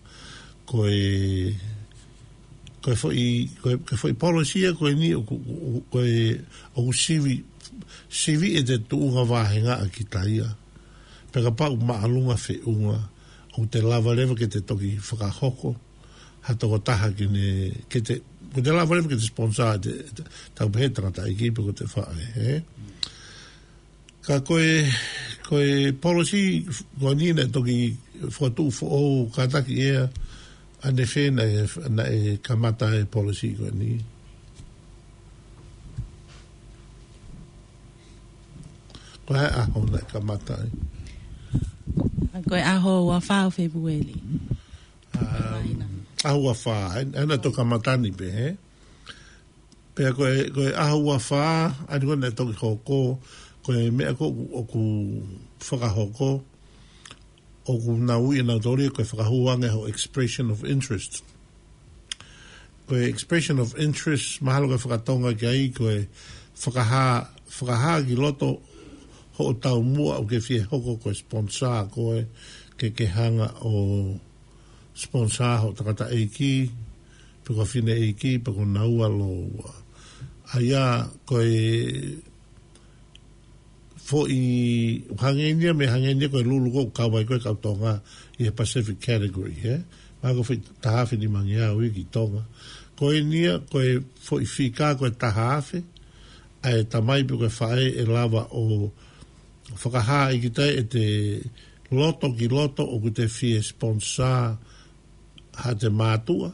ko e, ko e foʻi, ko e, ko e foʻi policy ia ko eni ʻoku, ʻoku, ko e, ʻoku sivi, sivi ʻe te tuʻunga vāhenga ʻa kita ia. Pea kapau ʻoku māʻolunga feʻunga, ʻoku te lava leva ke te toki fakahoko ha tokotaha ke ne, ke te, ko te lava leva ke te sponsor te, te, tau pehē tangataʻeiki pe ko te faʻē, ē? Ka ko e, ko e policy ko eni naʻe toki fokotuʻu foʻou, kātaki ʻe ʻAnefe naʻe, naʻe kamata e policy ko eni. Ko e hā e ʻaho naʻe kamata ai? Ko e ʻaho ua fā ʻo Fēpueli. Um, ʻaho ua fā, ē, ē, naʻe toki kamata ni pē, ē? Pea ko e, ko e ʻaho ua fā, ʻa eni ko ē naʻe toki hoko, ko e meʻa ko ē ʻoku, ʻoku fakahoko, ʻoku nau ui ʻenautolu ia ko e fakahū ange hoʻo expression of interest. Ko e expression of interest, mahalo ko e fakatonga ki ai, ko e fakahā, fakahā ki loto hoʻo taumuʻa ʻoku ke fie hoko ko e sponsor koe, ke ke hanga ʻo sponsor hoʻo tangataʻeiki, pe ko e fineʻeiki, pe ko naua lōua. ʻA ia, ko e foʻi, hangē ni ia, meʻa hangē ni ia ko e lulu ko ē ʻoku kau ai ko ē kau Tonga ʻi he Pacific category, ē? Mahalo ko e foʻi taha afe nimangeau ia ki Tonga. Ko eni ia, ko e foʻi fika ko e taha afe, ʻa e tamai pe ko e faʻē ʻe lava ʻo fakahā ʻe kita ʻete loto ki loto ʻoku te fie sponsor haʻate mātuʻa.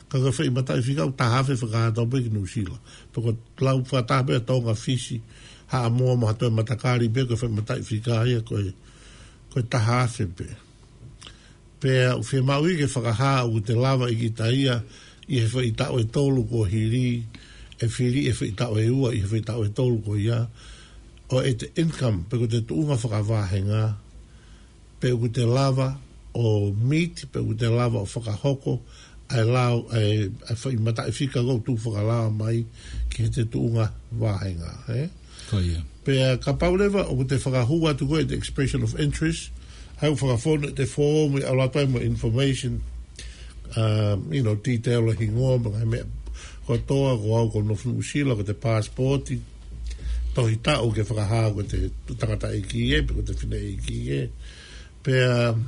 Ka ko e foʻi mataʻi fika ʻoku taha afe fakahā atu pē ki Nuʻusila. Pe ko e lau fakataha pē Tonga, Fisi, Haʻamoa mo ha toe matakali pē, ko e foʻi mataʻi fika ia ko e, ko e taha afe pē. Pea ʻoku fiemaʻu ia ke fakahā ʻoku te lava ʻe kita ia ʻi he foʻi taʻu ʻe tolu kuo hili, ʻe fili ʻe he foʻi taʻu ʻe ua ʻi he foʻi taʻu ʻe tolu ko ia, ʻo ʻete income, pe ko ʻete tuʻunga fakavāhenga, pe ʻoku te lava ʻo meet, pe ʻoku te lava ʻo fakahoko ʻa e lau, ʻa e, ʻa e foʻi mataʻi fika ʻoku tuʻu fakalaumālie ki heʻete tuʻunga vāhenga, ē? Ko ia. Pea kapau leva ʻoku te fakahū atu ko ē ʻete expression of interest, ʻa ia ʻoku fakafonu ʻete foomu ʻi ʻalu atu ai mo e information, um, you know, detail ʻo e hingoa, mo e ngaahi meʻa kotoa, ko au ʻoku ou nofo Nuʻusila, ko ʻete passport, tohi taʻu ke fakahā ko ʻete tangataʻeiki ē, pe ko ʻete fineʻeiki ē. Pea, um,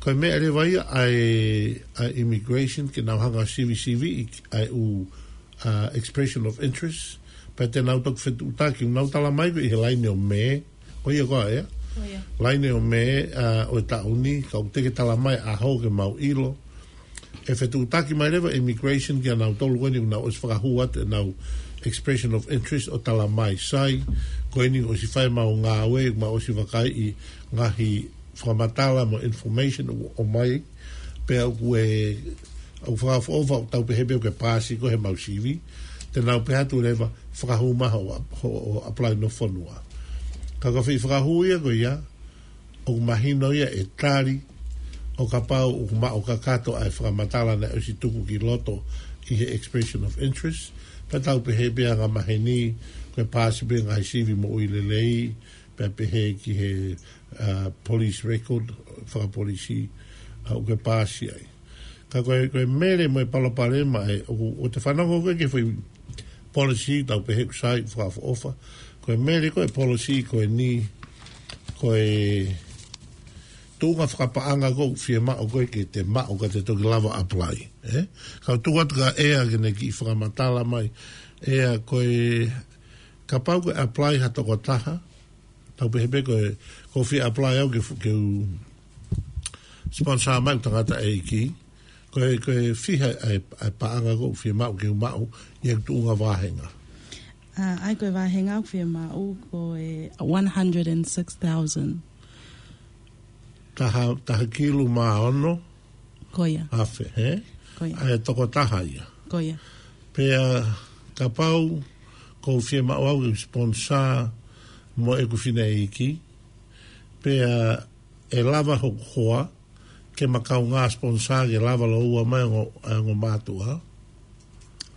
ko e meʻa leva ia ʻa e, ʻa e immigration ke nau hanga ʻo sivisiviʻi ʻa e ʻū, uh, expression of interest. Pea te nau toki fetuʻutaki, nau talamai ko ē ʻi he laine ʻo Mē, ko ia ko ē, ē? Ko ia. Laine ʻo Mē, uh, ʻo e taʻu ni, ka ʻoku teʻeki talamai ʻaho ke mau ʻilo. ʻE fetuʻutaki mai leva immigration kia nautolu ko eni ʻoku nau ʻosi fakahū atu ʻenau expression of interest ʻo talamai sai, ko eni ʻosi fai ʻemau ngāue, mau ʻosi vakaiʻi ngaahi fakamatala mo information ʻoku ʻomai, pea ʻoku ʻe, ʻoku fakaʻofoʻofa ʻoku tau pehē pē ʻoku ke paasi koe heʻemau sivi, te nau pehē atu leva fakahū mai hoʻo, hoʻo apply no fonua. Ka ko e foʻi fakahū ia ko ia, ʻoku mahino ia ʻe tali, ʻo kapau ʻoku maʻu kakato ʻa e fakamatala naʻe ʻosi tuku ki loto ʻi he expression of interest, pea tau pehē pē angamaheni, ko e paasi pē ngaahi sivi moʻui lelei, pea pehē ki he, uh, police record, fakapolisi, uh, ʻoku ke paasi ai. Ka ko e, ko e mele mo e palopalema ē, ʻoku, ʻoku te fanongo ko ē ki he foʻi policy, tau pehē ʻoku sai, fakaʻofoʻofa. Ko e mele ko e policy ko eni, ko e tuʻunga fakapaʻanga ʻoku fiemaʻu ko ē ke te maʻu ka te toki lava apply, ē? Ka u tuku atu kia ʻEa ke ne kiʻi fakamatala mai, ʻEa ko e kapau ko e apply ha tokotaha, tau pehē pē ko e, ʻoku ou fie apply au ke fu-, ke u sponsor mai ʻeku tangataʻeiki. Ko e, ko e fiha ʻa e, ʻa e paʻanga ʻoku fiemaʻu ke u maʻu ʻi heʻeku tuʻunga vāhenga. Ah, ʻa ia ko e vāhenga ʻoku fiemaʻu ko e one hundred and six thousand. Taha, taha kilu mā ono. Ko ia. Afe, ē? Ko ia. ʻA e tokotaha ia. Ko ia. Pea kapau ʻoku ou fiemaʻu au ke sponsor mo ʻeku fineʻeiki, pea ʻe lava hoku hoa ke ma kaungā sponsor ke lava lōua mai ʻa e ongo, ʻa e ongo mātuʻa.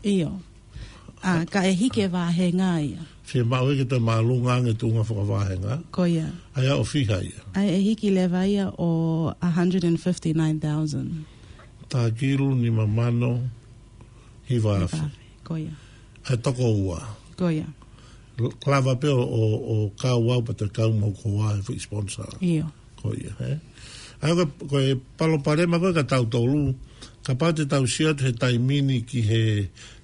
ʻIo. Ah, ka ʻe hiki e vāhenga ia. Fiemaʻu ia ke toe māʻolunga ange tuʻunga fakavāhenga. Ko ia. ʻA ia ʻo fiha ia. ʻA ia ʻe hiki leva ia ʻo a hundred and fifty-nine thousand. Taha kilu nima mano hiva afe. Hiva afe. Ko ia. ʻA e toko ua. Ko ia. L-, lava pē ʻo, ʻo, ʻo kau au pea toe kau mo hoku hoa he foʻi sponsor. ʻIo. Ko ia, ē? ʻA ia ko e, ko e palopalema ko ē kia tautolu, kapau te tau sio atu he taimi ni ki he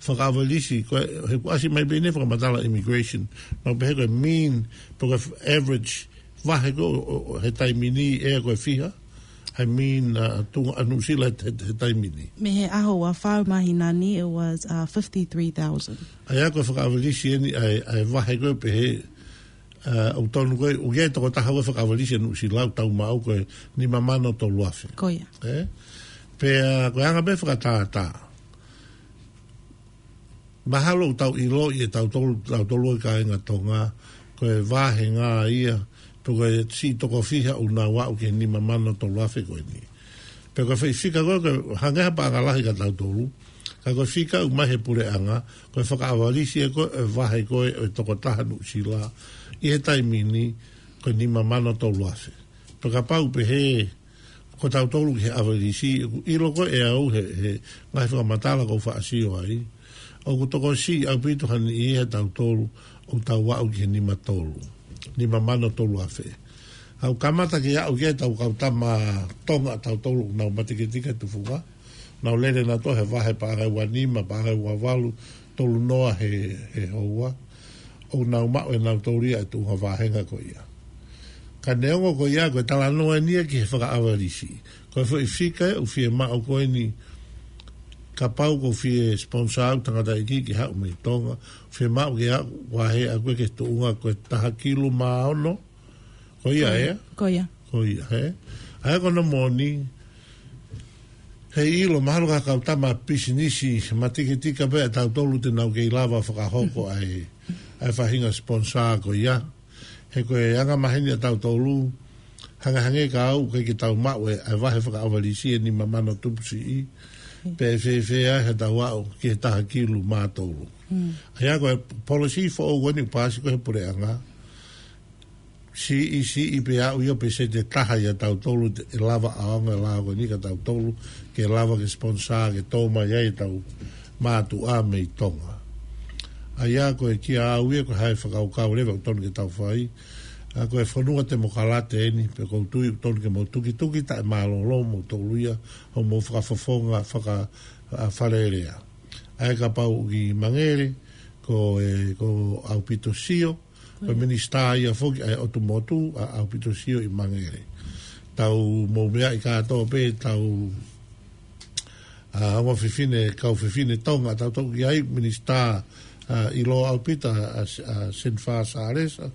fakaʻavalisi, ko e, he ʻoku ʻasi mai pē ʻeni he fakamatala immigration, mau pehē ko e mean, pe ko e average, vahe ko ē ʻo, ʻo, ʻo he taimi ni ʻe ko e fiha, ʻa e mean, uh, tuʻunga ʻa Nuʻusila he, he, he taimi ni. Mei he ʻaho ua fā māhina ni, it was, uh, fifty-three thousand. ʻA ia ko e fakaʻavalisi ʻeni ʻa e, ʻa e vahe ko ē pehē, uh, ʻoku tonu ko ē, ʻoku ʻi ai e tokotaha ʻoku fakaʻavalisi ʻa Nuʻusila ʻoku tau maʻu ko e nima mano tolu afe. Ko ia. Ē? Pea, ko e anga pē fakatātā. Mahalo ʻoku tau ʻiloʻi ʻe tautolu, tautolu ʻa e kāinga Tonga, ko e vāhenga ia, pe ko e siʻi toko fiha ʻoku nau aʻu ki he nima mano tolu afe ko eni. Pea ko e foʻi fika ko ē, ko e hangē ha paʻanga lahi kia tautolu, ka ko e fika ʻoku ʻomai he puleʻanga, ko e fakaʻavalisi ē ko ē ʻo e vahe ko ē ʻo e tokotaha Nuʻusila, ʻi he taimi ni, ko e nima mano tolu afe. Pea kapau pehē, ko tautolu ki he ʻavalisi, ʻoku ʻilo ko ē ʻe au he, he ngaahi fakamatala ʻoku ou faʻa sio ai, ʻoku tokosiʻi ʻaupito ha niʻihi ʻia tautolu ʻoku tau aʻu ki he nima tolu. Nima mano tolu afe. ʻOku kamata ke aʻu ki ai ʻetau kau tama Tonga ʻa tautolu ʻoku nau matekitika he tufunga. Nau lele nautolu he vahe paʻanga ua nima, paʻanga ua valu, tolu noa he, he houa, ʻoku nau maʻu ʻe nautolu ia e tuʻunga vāhenga ko ia. Ka neongo ko ia, ko e talanoa eni ia ki he fakaʻavalisi. Ko e foʻi fika ʻoku fiemaʻu ko eni, kapau ʻoku fie sponsor ʻa e tangataʻeiki ke haʻu mei Tonga, fiemaʻu ke aʻu, vahe ʻa koe ki he tuʻunga ko e taha kilu mā ono, ko ia, ē? Ko ia. Ko ia, ē? ʻA ia ko hono moʻoni, heiʻilo, mahalo ko e kau tama pisinisi, matikitiki pē ʻa tautolu te nau kei lava fakahoko ʻa e, ʻa e faʻahinga sponsor ko ia. He ko e anga maheni ʻa tautolu, hangehangē ka ʻoku ʻikai ke tau maʻu e, ʻa e vahe fakaʻavalisi ʻe nima mano tupu siʻi, pe fēfē ai haʻatau aʻu ki he taha kilu mā tolu. Mm. ʻA ia ko e policy foʻou ko eni ʻoku paasi ko ē he puleʻanga, siʻi, siʻi pē aʻu ia pe sete taha ia tautolu te, ʻe lava ʻaonga e lao ko eni kia tautolu, ke lava ke sponsor, ke tō mai ai ʻetau mātuʻa mei Tonga. ʻA ia ko e kia au ia ko e hā e fakakaukau leva ʻoku totonu ke tau fai. ʻA ia ko e fonua temokalate eni, pea ʻoku ou tui ʻoku totonu ke mou tukituki taʻemālōlō moutolu ia, hoʻomou fakafofonga, faka, ʻa, Fale Alea. ʻA ia kapau ʻoku ʻi Mangere, ko e, ko ʻAupito Sio, ko e minisitā ia foki ʻa e ʻOtu Motu, ʻa, ʻAupito Sio ʻi Mangere. Tau mou meaʻi kātoa pē, tau, ʻa, ongo fefine, kau fefine Tonga, tau toki ʻi ai minisitā, ʻa, ʻiloa ʻaupito, ʻa, ʻa, ʻa Senifa Salesa,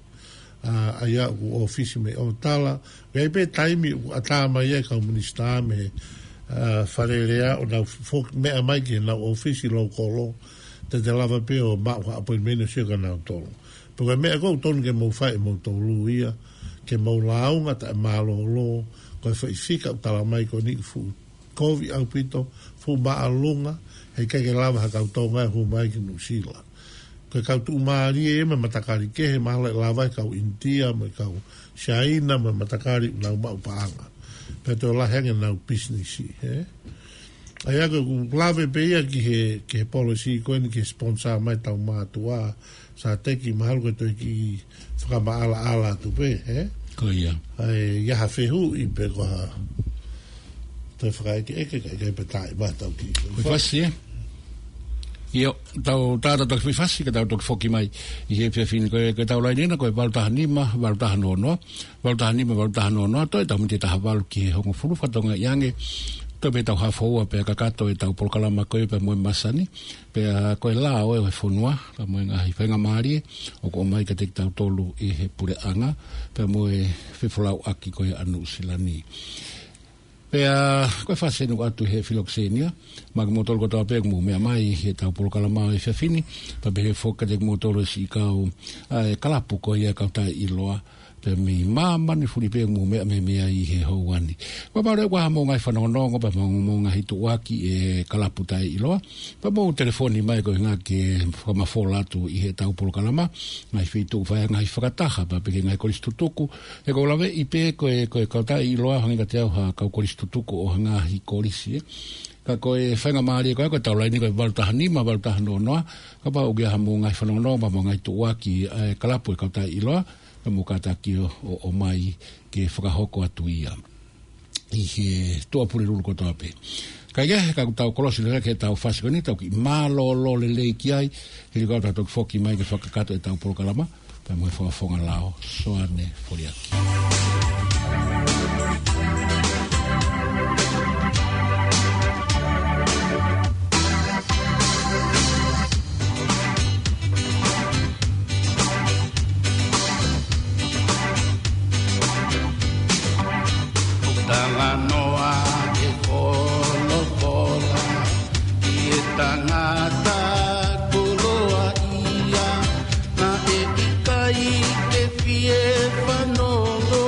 ʻa, ʻa ia ʻoku ʻōfisi mei ʻOtala. ʻOku ʻi ai pē taimi ʻoku ʻatā mai ai kau minisitā mei, ʻa, Fale Alea ʻo nau fo-, meʻa mai ki heʻenau ʻōfisi lōkolo, te te lava pē ʻo maʻu ha appointment ʻo sio kia nautolu. Pea ko e meʻa ʻoku totonu ke mou fai ʻe moutolu ia, ke mou lāunga taʻemālōlō, ko e foʻi fika ʻoku tala mai ko eni ʻoku fuʻu kovi ʻaupito, fuʻu māʻolunga, heʻikai ke lava ha kau Tonga ʻe hū mai ki Nuʻusila. Ko e kau tuʻumālie mo e matakali kehe, mahalo ʻe lava e kau ʻInitia, mo e kau Siaina, mo e matakali ʻoku nau maʻu paʻanga. Pea toe lahi ange ʻenau pisinisi, ē? ʻA ia ko ʻeku lave pē ia ki he, ki he policy ko eni ke sponsor mai ʻetau mātuʻa, Sateki, mahalo ko e toe kiʻi fakamaʻalaʻala atu pē, ē? Ko ia. ʻA ia ha fehuʻi pe ko ha toe fakaʻekeʻeke, ka ʻikai pē taʻe ma tau ki. Ko e fasi, ē? ʻIo, tau tātā toki fasi, ka tau toki foki mai ʻi he efiafi ni ko e, ko ʻetau laine ena, ko e valu taha nima, valu taha noa noa, valu taha nima, valu taha noa noa, toe tau miniti taha valu ki he hongofulu, fakatokangaʻi ange, toe pē tau hafo ua pea kakato ʻetau polokalama ko ē pea mo e masani, pea ko e lao ʻo e fonua, pea mo e ngaahi faingamālie ʻoku ʻomai kiate kitautolu ʻi he puleʻanga, pea mo e fefolauʻaki ko ē ʻa Nuʻusila ni. Pea ko e fasi eni ʻoatu ʻe he Filokisenia, maʻa kimoutolu kotoa pē ʻoku mou meʻa mai ʻi heʻetau polokalama ʻo e efiafi ni, pea pehē foki kiate kimoutolu e siʻi kau, ʻa e kalapu ko ia e kau taʻeʻiloa, pea mei māmani fuli pē ʻoku mou meʻa mai mei ai ʻi he houa ni. Kapau leva ʻoku ʻi ai haʻamou ngaahi fanongonongo, pea mo, mo e ngaahi tuʻuaki e kalapu taʻeʻiloa, pea mou telefoni mai koeʻuhi ke fakamafola atu ʻi heʻetau polokalama, ngaahi feituʻu fai ngaahi fakataha, pea pehē ki he ngaahi kolisi tutuku, he ʻoku ou laveʻi pē ko e, ko e kau taʻeʻiloa hangē kiate au ha kau kolisi tutuku ʻo ha ngaahi kolisi, ē. Ka ko e faingamālie ko ē, ko ʻetau laine ko e valu taha nima, valu taha noa noa, kapau ʻoku ʻi ai haʻamou ngaahi fanongonongo, pea mo e ngaahi tuʻuaki, ʻa e kalapu e kau taʻeʻiloa, pea mou kātaki ʻo, ʻo, ʻomai ke fakahoko atu ia ʻi he Tuʻapulelulu kotoa pē. Kae kehe, ka kuo tau kolosi lelei ki heʻetau fasi ko eni, tau kiʻi mālōlō lelei ki ai, hili ko ia tau toki foki mai ke fakakakato ʻetau polokalama, pea mo e fakafofonga lao, Soane Foliaki. Talanoa ke folofola ki he tangata koloaʻia, naʻe ʻikai ke fie fanongo.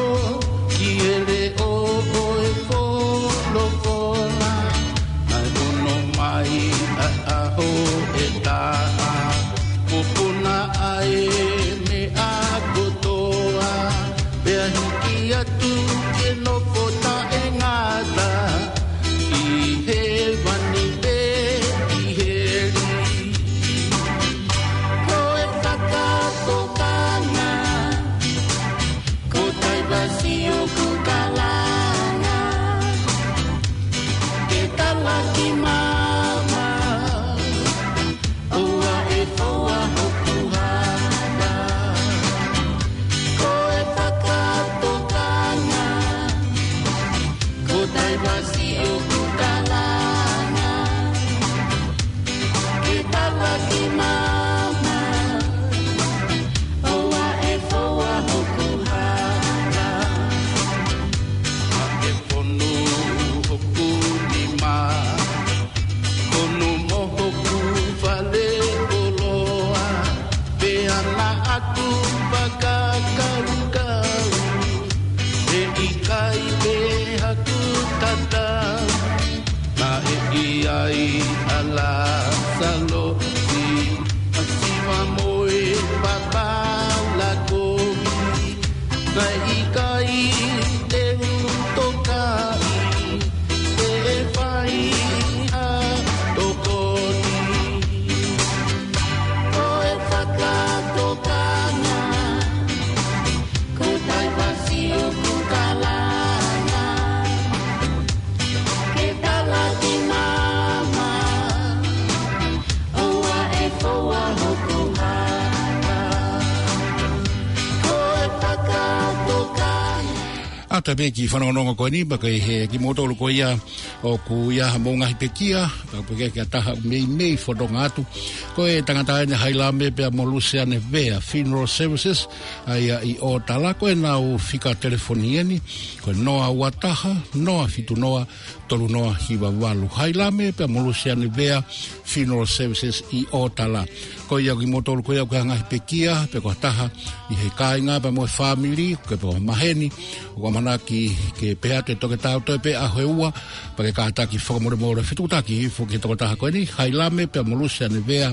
ʻAtā pē ki he fanongonongo ko eni, pea ko e hā kimoutolu ko ia ʻoku ʻi ai haʻamou ngaahi pekia, pea ko e pekia ʻe taha meimei fononga atu. Ko e tangata eni ʻa Hailame pea mo Luseane Vea Funeral Services, ʻa ia ʻi ʻOtala, ko ʻenau fika telefoni eni, ko e noa ua taha, noa fitu noa, tolu noa hiva valu. Hailame pea mo Luseane Vea Funeral Services ʻi ʻOtala. Ko ia kimoutolu ko ia ʻoku ʻi ai ha ngaahi pekia, pe ko ha taha ʻi he kāinga pea mo e fāmili, pe ko ha maheni ʻoku ʻamanaki ke pehē atu e toketā ʻo toe pē ʻaho ʻe ua, pea ke kātaki fakamolemole, fetuʻutaki hifo ki he tokotaha ko eni, Hailame pea mo Luseane Vea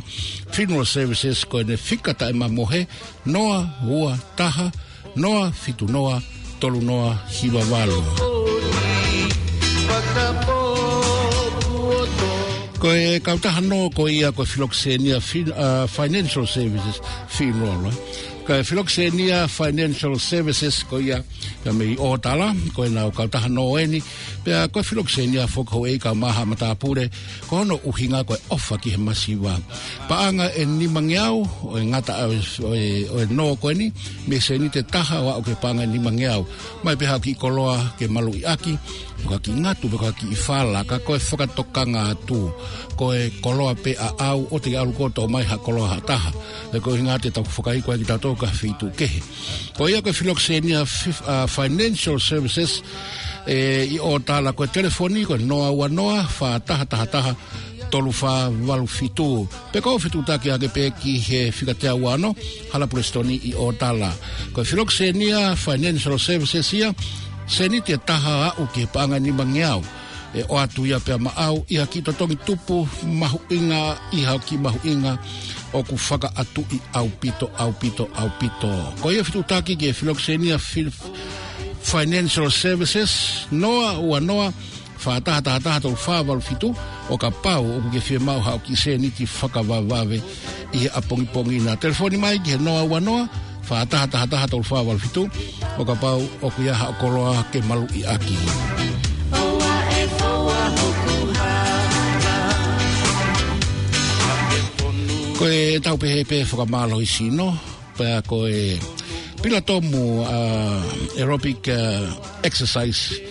Funeral Services, ko ʻene fika taʻemamohe, noa ua taha, noa fitu noa, tolu noa hiva valu. Ko e kautaha nō ko ia ko e Filokisenia Fin-, ʻa, Financial Services Funeral, ē. Ko e Filokisenia Financial Services ko ia, ia mei ʻOtala, ko ʻenau kautaha nō eni, pea ko e Filokisenia foki ʻoku ʻi ai e kau maha matāpule, ko hono ʻuhinga ko e ʻofa ki he masiva. Paʻanga ʻe nimangeau, ʻo e ngata ʻo e, ʻo e, ʻo e nō ko eni, mei he sēniti ʻe taha ʻo aʻu ki he paʻanga ʻe nimangeau. ʻOmai pē ha kiʻi koloa ke maluʻi ʻaki, pe ko ha kiʻi ngatu, pe ko ha kiʻi fala, ka ko e fakatokanga atu, ko e koloa pē ʻaʻau, ʻoua te ke ʻalu koe ʻo toʻo mai ha koloa ha taha. He ko e ʻuhinga te tau fakaiko ai kitautolu ki ha feituʻu kehe. Ko ia ko e Filokisenia Fif-, ʻa, Financial Services, ē, ʻi ʻOtala, ko e telefoni ko e noa ua noa, fā taha taha taha, tolu fā valu fitu. Pe ko e fetuʻutaki ake pē ki he fika teau ua ono, Hala Pulesitoni ʻi ʻOtala. Ko e Filokisenia Financial Services ia, sēniti ʻe taha ʻo aʻu ki he paʻanga ʻe nimangeau, ʻe ʻoatu ia pea maʻau ʻi ha kiʻi totongi tupu mahuʻinga, ʻi ha kiʻi mahuʻinga ʻoku fakaʻatuʻi ʻaupito, ʻaupito, ʻaupito. Ko ia fetuʻutaki ki he Filokisenia Fi-, Financial Services, noa ua noa, fā taha taha taha, tolu fā valu fitu, ʻo kapau ʻoku ke fiemaʻu haʻo kiʻi sēniti fakavavevave ʻi he ʻapongipongi na. Telefoni mai ki he noa ua noa, fā taha taha taha, tolu fā valu fitu, ʻo kapau ʻoku ʻi ai haʻo koloa ke maluʻi ʻaki. Ko e tau pehē pē fakamālohisino, pea ko e pilatomu, ʻa, aerobic, ʻa, exercise.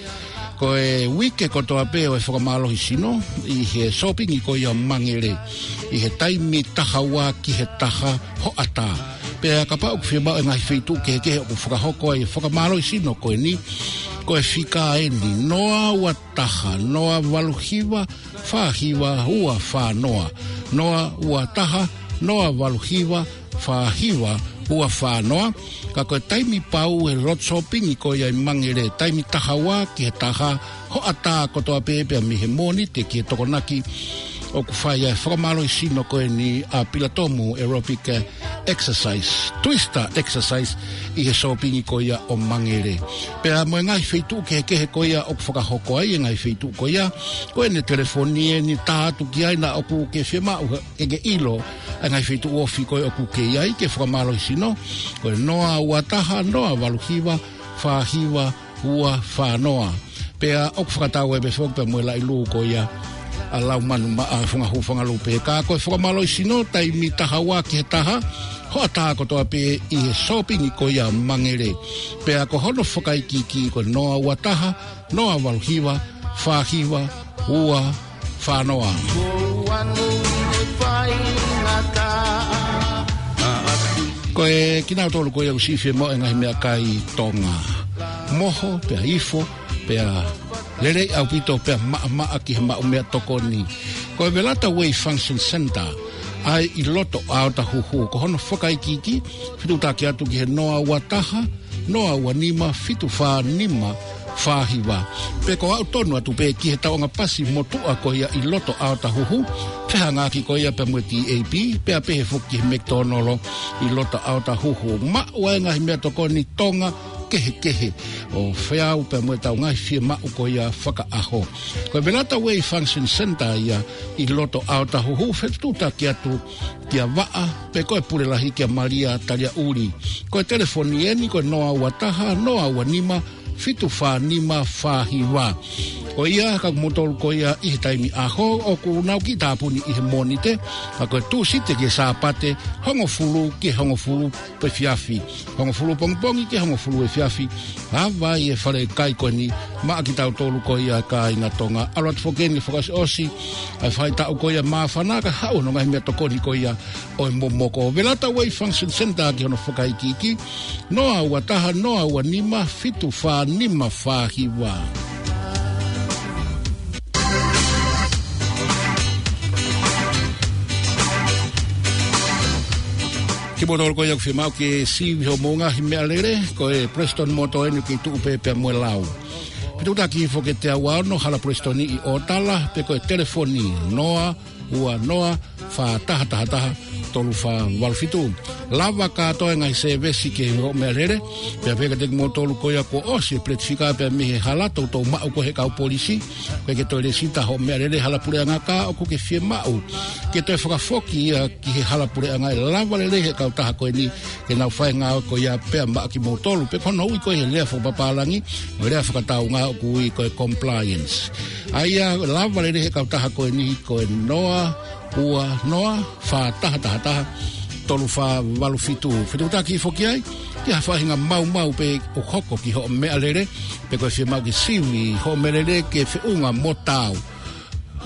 Ko e uike kotoa pē ʻo e fakamālohisino ʻi he sōpingi ko ia Mangere, ʻi he taimi taha ua ki he taha hoʻatā. Pea kapau ʻoku fiemaʻu e ngaahi feituʻu kehekehe ʻoku fakahoko ai e fakamālohisino ko eni, ko e fika eni, noa ua taha, noa valu hiva, fā hiva ua fā noa. Noa ua taha, noa valu hiva, fā hiva ua fā noa. Ka ko e taimi pau he lotu sōpingi ko ia ʻi Mangere, taimi taha ua ki he taha hoʻatā kotoa pē, pea mei he Mōnite ki he Tokonaki, ʻoku fai ai e fakamālohisino ko eni ʻa e pilatomu aerobic exercise, twister exercise, ʻi he sōpingi ko ia ʻo Mangere. Pea mo e ngaahi feituʻu kehekehe ko ia ʻoku fakahoko ai e ngaahi feituʻu ko ia, ko ʻene telefoni eni, tā atu ki ai naʻa ʻoku ke fiemaʻu ke ke ʻilo ʻa e ngaahi feituʻu ofi ko ē ʻoku ke ʻi ai ke fakamālohisino, ko e noa ua taha, noa valu hiva, fā hiva ua fā noa. Pea ʻoku fakatau ai pē foki pea mo e laʻi lū ko ia ʻa Laumanu Maʻa, Funga Hū, Funga Lupe. Ka ko e fakamālohisino taimi taha ua ki he taha hoʻatā kotoa pē ʻi he sōpingi ko ia Mangere. Pea ko hono fakaikiiki ko e noa ua taha, noa valu hiva, fā hiva ua fā noa. Ko e kinautolu ko ia ʻoku siʻi fiemaʻu e ngaahi meʻakai Tonga, moho, pea ifo, pea lelei ʻaupito, pea maʻamaʻa ki he maʻu meʻatokoni, ko e Velata Way Function Center, ʻa ia ʻi loto ʻo Otahuhu. Ko hono fakaikiiki, fetuʻutaki atu ki he noa ua taha, noa ua nima, fitu fā nima fā hiva. Pe ko e aʻu tonu atu pē ki he tauʻanga pasi motuʻa ko ia ʻi loto ʻo Otahuhu, fehangaʻaki ko ia pea mo e T A P, pea pehē foki ki he McDonald ʻi loto ʻo Otahuhu. Maʻu ai e ngaahi meʻatokoni Tonga kehekehe ʻo feau pea mo ʻetau ngaahi fiemaʻu ko ia fakaʻaho. Ko e Velata Way Function Center ia ʻi loto ʻo Otahuhu, fetuʻutaki atu kia Vaʻa, pe ko e Pule Lahi kia Malia Taliaʻuli. Ko e telefoni eni ko e noa ua taha, noa ua nima, fitu fā nima fā hiva. Ko ia, ka motolu ko ia ʻi he taimi ʻaho, ʻoku nau kiʻi tāpuni ʻi he Mōnite, ka ko e Tūsite ki he Sāpate, hongofulu ki he hongofulu efiafi. Hongofulu pongipongi ki he hongofulu efiafi. Ava ʻi he fale kai ko eni, maʻa kitautolu ko ia kāinga Tonga. ʻAlu atu foki eni fakaʻosiʻosi ʻa e faʻahitaʻu ko ia māfana, ka haʻu hono ngaahi meʻatokoni ko ia ʻo e momoko. Velata Way Function Centre ki hono fakaikiiki. Noa ua taha, noa ua nima, fitu fā nima fā hiva. Kimoutolu ko ia ʻoku fiemaʻu ke sivi hoʻomou ngaahi meʻalele, ko e Prestone Motor eni ʻoku kei tuʻu pē pea mo e lau. Fetuʻutaki foki ki he teau ua ono, Hala Prestone ʻi ʻOtala, pe ko e telefoni noa ua noa, fā taha taha taha, tolu fā valu fitu. Lava kātoa e ngaahi sēvesi ki hoʻo meʻalele, pea pehē kiate kimoutolu ko ia kuo ʻosi e peleti fika pea mei he hala, toutou maʻu ko ē he kau polisi, ko e ke toe lēsisita hoʻo meʻalele he hala puleʻanga, ka ʻoku ke fiemaʻu ke toe fakafoki ia ki he hala puleʻanga, ʻe lava lelei he kautaha ko eni ke nau fai e ngāue ko ia pea maʻa kimoutolu, pe ko hono ui ko ē he lea fakapapālangi, mo e lea fakataunga ʻoku ui ko e compliance. ʻA ia, lava lelei he kautaha ko eni ko e noa ua noa, fā taha taha taha, tolu fā valu fitu. Fetuʻutaki foki ai ki ha faʻahinga maumau pē ʻoku hoko ki hoʻo meʻalele, pe ko e fiemaʻu ke sivi hoʻo meʻalele ke feʻunga mo taau.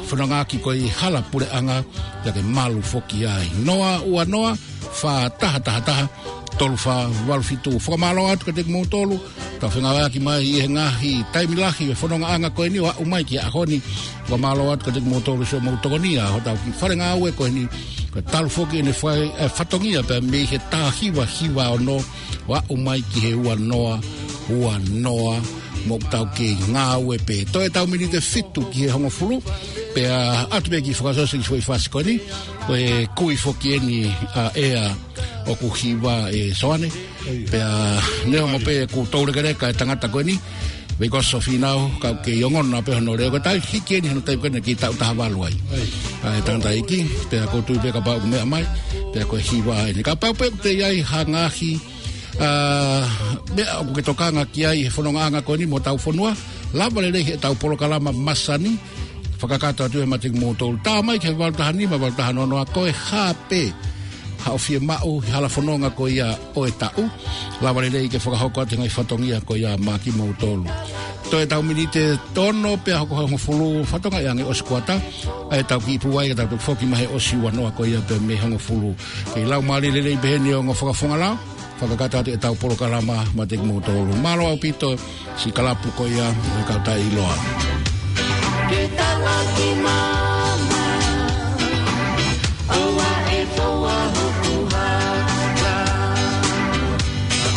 Fononga ki he hala puleʻanga, pea ke malu foki ai. Noa ua noa, fā taha taha taha, tolu fā valu fitu. Fakamālō atu kiate kimoutolu, tau fengāueʻaki mai ʻi he ngaahi taimi lahi e fonongaʻanga ko eni ʻo aʻu mai ki he ʻaho ni. Fakamālō atu kiate kimoutolu siʻomou tokonia hotau kiʻi fale ngāue ko eni. Ko e talu foki ʻene fai, e, fatongia pea mei he taha hiva hiva ono ʻo aʻu mai ki he ua noa ua noa, mo tau kei ngāue pē. Toe ʻetau miniti ʻe fitu ki he hongofulu, pea ʻatu pē ki he fakaʻosiʻosi ki he foʻi fasi ko eni, ko e kui foki eni ʻa ʻEa ʻoku hiva, ʻe Soane. Pea neongo pē ʻoku toulekeleka e tangata ko eni, Veikoso Fīnau, ka ʻoku kei ongona pē hono lea, ko e taimi hiki eni hono taimi ko eni ke taʻu taha valu ai. ʻA e tangataʻeiki, pea ʻoku ou tui pē kapau ʻoku meʻa mai, pea ko e hiva eni. Kapau pē ʻoku toe ʻi ai ha ngaahi, ʻa, meʻa ʻoku ke tokanga ki ai he fonongaʻanga ko eni mo hotau fonua, lava lelei heʻetau polokalama masani, fakakakato atu ē maʻa kimoutolu. Tā mai ki he valu taha nima, valu taha noa noa, ko e hā pē haʻo fiemaʻu he hala fononga ko ia ʻo e taʻu, lava lelei ke fakahoko atu e ngaahi fatongia ko ia maʻa kimoutolu. Toe ʻetau miniti ʻe ono pea hoko hongofulu, fatongia ange ʻosi kuata, ʻa ʻetau kiʻi pūai ka tau toe foki mai he ʻosi ua noa ko ia pea mei he hongofulu. Kei lau mālie lelei pē heni ʻa e ongo fakafofonga lao, fakakakato atu ʻetau polokalama maʻa kimoutolu. Mālō ʻaupito siʻi kalapu ko ia ʻo e Kautaʻeʻiloa. Ke talaki mama, ʻoua ʻe foua hoku haka.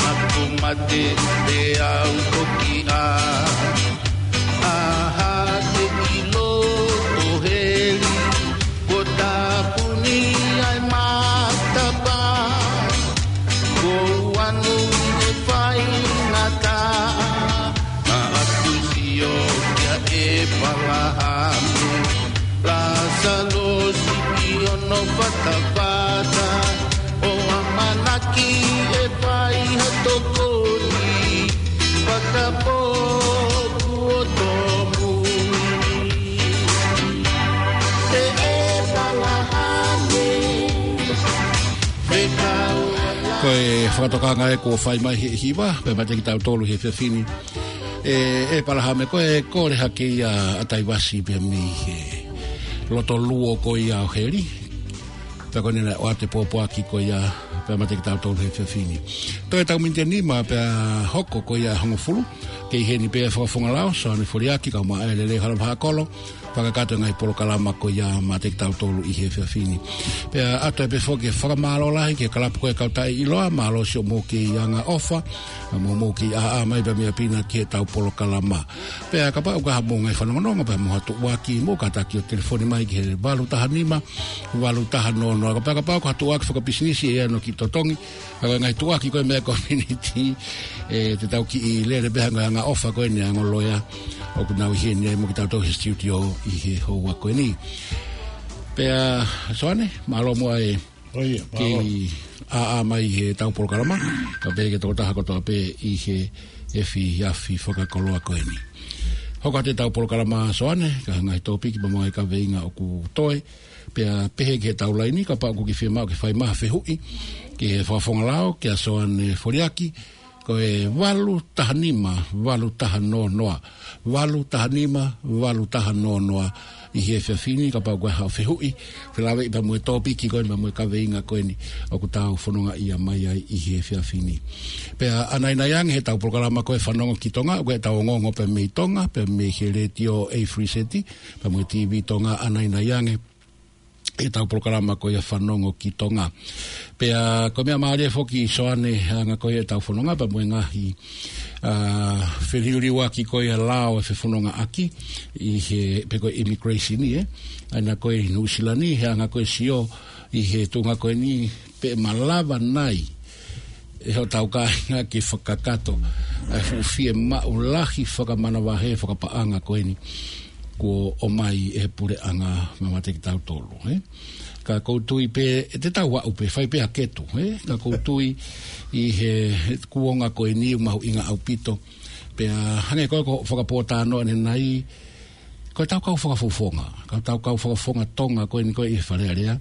Aku mate te au toki a. Aha te ʻilo ʻo heli, kuo tāpuni ai matapā. Kuo u anu ʻi he faingataʻa, naʻa ku sio kia ʻĒpalahame. Lāsalosi ʻi hono fatafata, ʻo ʻamanaki ʻe fai ha tokoni, fakapō kuo tōmui. ʻE ʻĒpalahame, fekau. Ko e fakatokanga ē kuo fai mai he hiva, pea maʻa kitautolu he efiafi ni. ʻE, ʻĒpalahame, ko e kole hake ia ʻa Taivasi pea mei he loto luo ko ia ʻo heli. Pea ko eni naʻe ʻoatu e pōpoaki ko ia pea maʻa kitautolu he efiafi ni. Toe ʻetau miniti ʻe nima pea hoko ko ia hongofulu. Kei heni pē fakafofonga lao, Soane Foliaki, kau maʻa e lele hala vaha kolo. Fakakakato e ngaahi polokalama ko ia maʻa kitautolu ʻi he efiafi ni. Pea ʻatu ai pē foki e fakamālō lahi ki he kalapu ko e Kautaʻeʻiloa, mālō siʻomou kei angaʻofa, mo hoʻomou kei ʻāʻā mai pea mei ʻapi na ki heʻetau polokalama. Pea kapau ʻoku ʻi ai haʻamou ngaahi fanongonongo pea mo ha tuʻuaki, mou kātaki ʻo telefoni mai ki he valu taha nima, valu taha noa noa. Pea kapau ko ha tuʻuaki fakapisinisi ʻe ʻi ai hono kiʻi totongi, ʻa e ngaahi tuʻuaki ko e meʻa community, ʻe, te tau kiʻi lele pē hangē ko e angaʻofa ko eni ʻa e ongo loea ʻoku nau ʻi heni ai mo kitautolu he studio ʻi he houa ko eni. Pea Soane, mālō muʻa e, ʻo ia, mālō, kei ʻāʻā mai heʻetau polokalama, kae pehē ki he tokotaha kotoa pē ʻi he efiafi fakakoloa ko eni. Hoko atu ʻetau polokalama Soane, ka ngaahi tōpiki pea mo e kaveinga ʻoku toe, pea pehē ki heʻetau laini, kapau ʻoku ke fiemaʻu ke fai mai ha fehuʻi ki he fakafofonga lao, kia Soane Foliaki, ko e valu taha nima, valu taha noa noa, valu taha nima, valu taha noa noa, ʻi he efiafi ni, kapau ko e haʻo fehuʻi, felāveʻi pea mo e tōpiki ko eni, pea mo e kaveinga ko eni, ʻoku tau fononga ia mai ai ʻi he efiafi ni. Pea ʻanainai ange heʻetau polokalama ko e Fanongo ki Tonga, ko ʻetau ongoongo pea mei Tonga, pea mei he letiō ʻa e Free City, pea mo e T V Tonga, ʻanainai ange heʻetau polokalama ko ia Fanongo ki Tonga. Pea ko e meʻa mālie foki Soane he anga ko ia ʻetau fononga pea mo e ngaahi, ā, feliuliuaki ko ia lao ʻe fefonongaʻaki ʻi he, pe ko e immigration ni, ē. ʻA ia ko e Nuʻusila ni, he anga ko e sio ʻi he tuʻunga ko eni pe malava nai ʻe hotau kāinga ke fakakakato ʻa e fuʻu fiemaʻu lahi fakamanavahē fakapaʻanga ko eni kuo ʻomai ʻe he puleʻanga maʻa kitautolu, ē. Ka ʻoku ou tui pē, ʻe te tau aʻu pē, fai pē ʻa e ketu, ē. Ka ʻoku ou tui ʻi he, he kuonga ko eni ʻoku mahuʻinga ʻaupito. Pea hangē ko e ko e fakapōtalanoa ʻanenai, ko ʻetau kau fakafofonga, ko ʻetau kau fakafofonga Tonga ko eni ko e ʻi Fale Alea.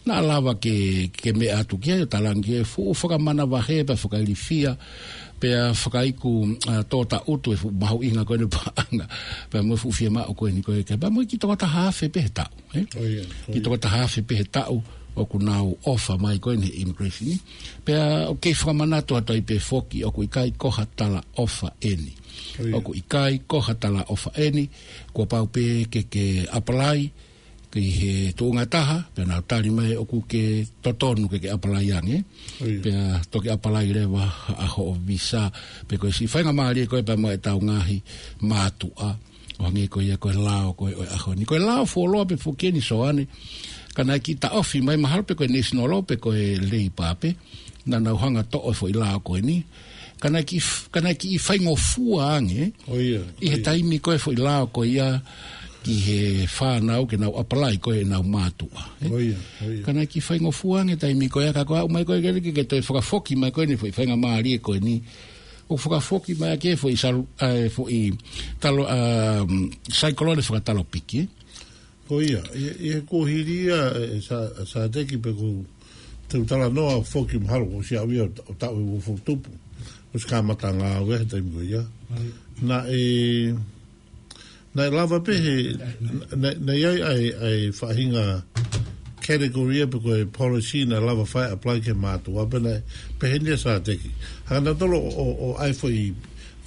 Naʻa lava ke, ke meʻa atu ki ai ʻo talaange ki he fuʻu fakamanavahē pea fakailifia, pea fakaiku, ā, tō taʻutu e fuʻu mahuʻinga ko eni paʻanga, pea mo e fuʻu fiemaʻu ko eni ko e ke, pea mo e kiʻi toko taha afe pē he taʻu, ē? ʻIo, ʻio. Kiʻi toko taha afe pē he taʻu ʻoku nau ʻofa mai ko eni he immigration ni. Pea ʻoku kei fakamanatu atu ai pē foki ʻoku ʻikai ko ha talaʻofa eni. ʻIo, ʻio. ʻOku ʻikai ko ha talaʻofa eni, kuo pau pē ke ke apply, ki he tuʻunga ʻe taha, pea nau tali mai ʻoku ke totonu ke ke apply ange. ʻIo. Pea toki apply leva ʻa hoʻo visa, pe ko e siʻi faingamālie ko ē pea mo ʻetau ngaahi mātuʻa. ʻO hangē ko ia ko e lao ko ē ʻo e ʻaho ni. Ko e lao fuoloa pē foki eni Soane. Ka naʻe kiʻi taʻofi mai mahalo pe ko e national law pe ko e labour pē. Naʻa nau hanga toʻo e foʻi lao ko eni. Ka naʻe kiʻi f-, ka naʻe kiʻi faingofua ange. ʻIo, ʻio. ʻI he taimi ko e foʻi lao ko ia ki he fānau ke nau apply ko ē ʻenau mātuʻa, ē? ʻIo, ʻio. Ka naʻe kiʻi faingofua ange taimi ko ia ka ko e aʻu mai ko ē ke, ke, ke toe fakafoki mai ko eni foʻi faingamālie ko eni. ʻO fakafoki mai ake foʻi salu-, ā, foʻi talo, ā, mm, saikolone fakatalopiki, ē? Ko ia, ʻi, ʻi he kuohili ia, ē, sa, sa teki pe ko te u talanoa foki mahalo ko siʻi ʻaʻau ia ʻo ta-, ʻo taʻu ʻe ua foʻi tupu. ʻOsi kamata ngāue he taimi ko ia. ʻIo. Naʻe, naʻe lava pē he, naʻe, naʻe ʻi ai ʻa e, ʻa e faʻahinga category ia pe ko e policy naʻe lava fai apply ki he mātuʻa pea naʻe, pehē ni ʻa sa teki. Hanga nautolu ʻo, ʻo, ʻo ʻai foʻi,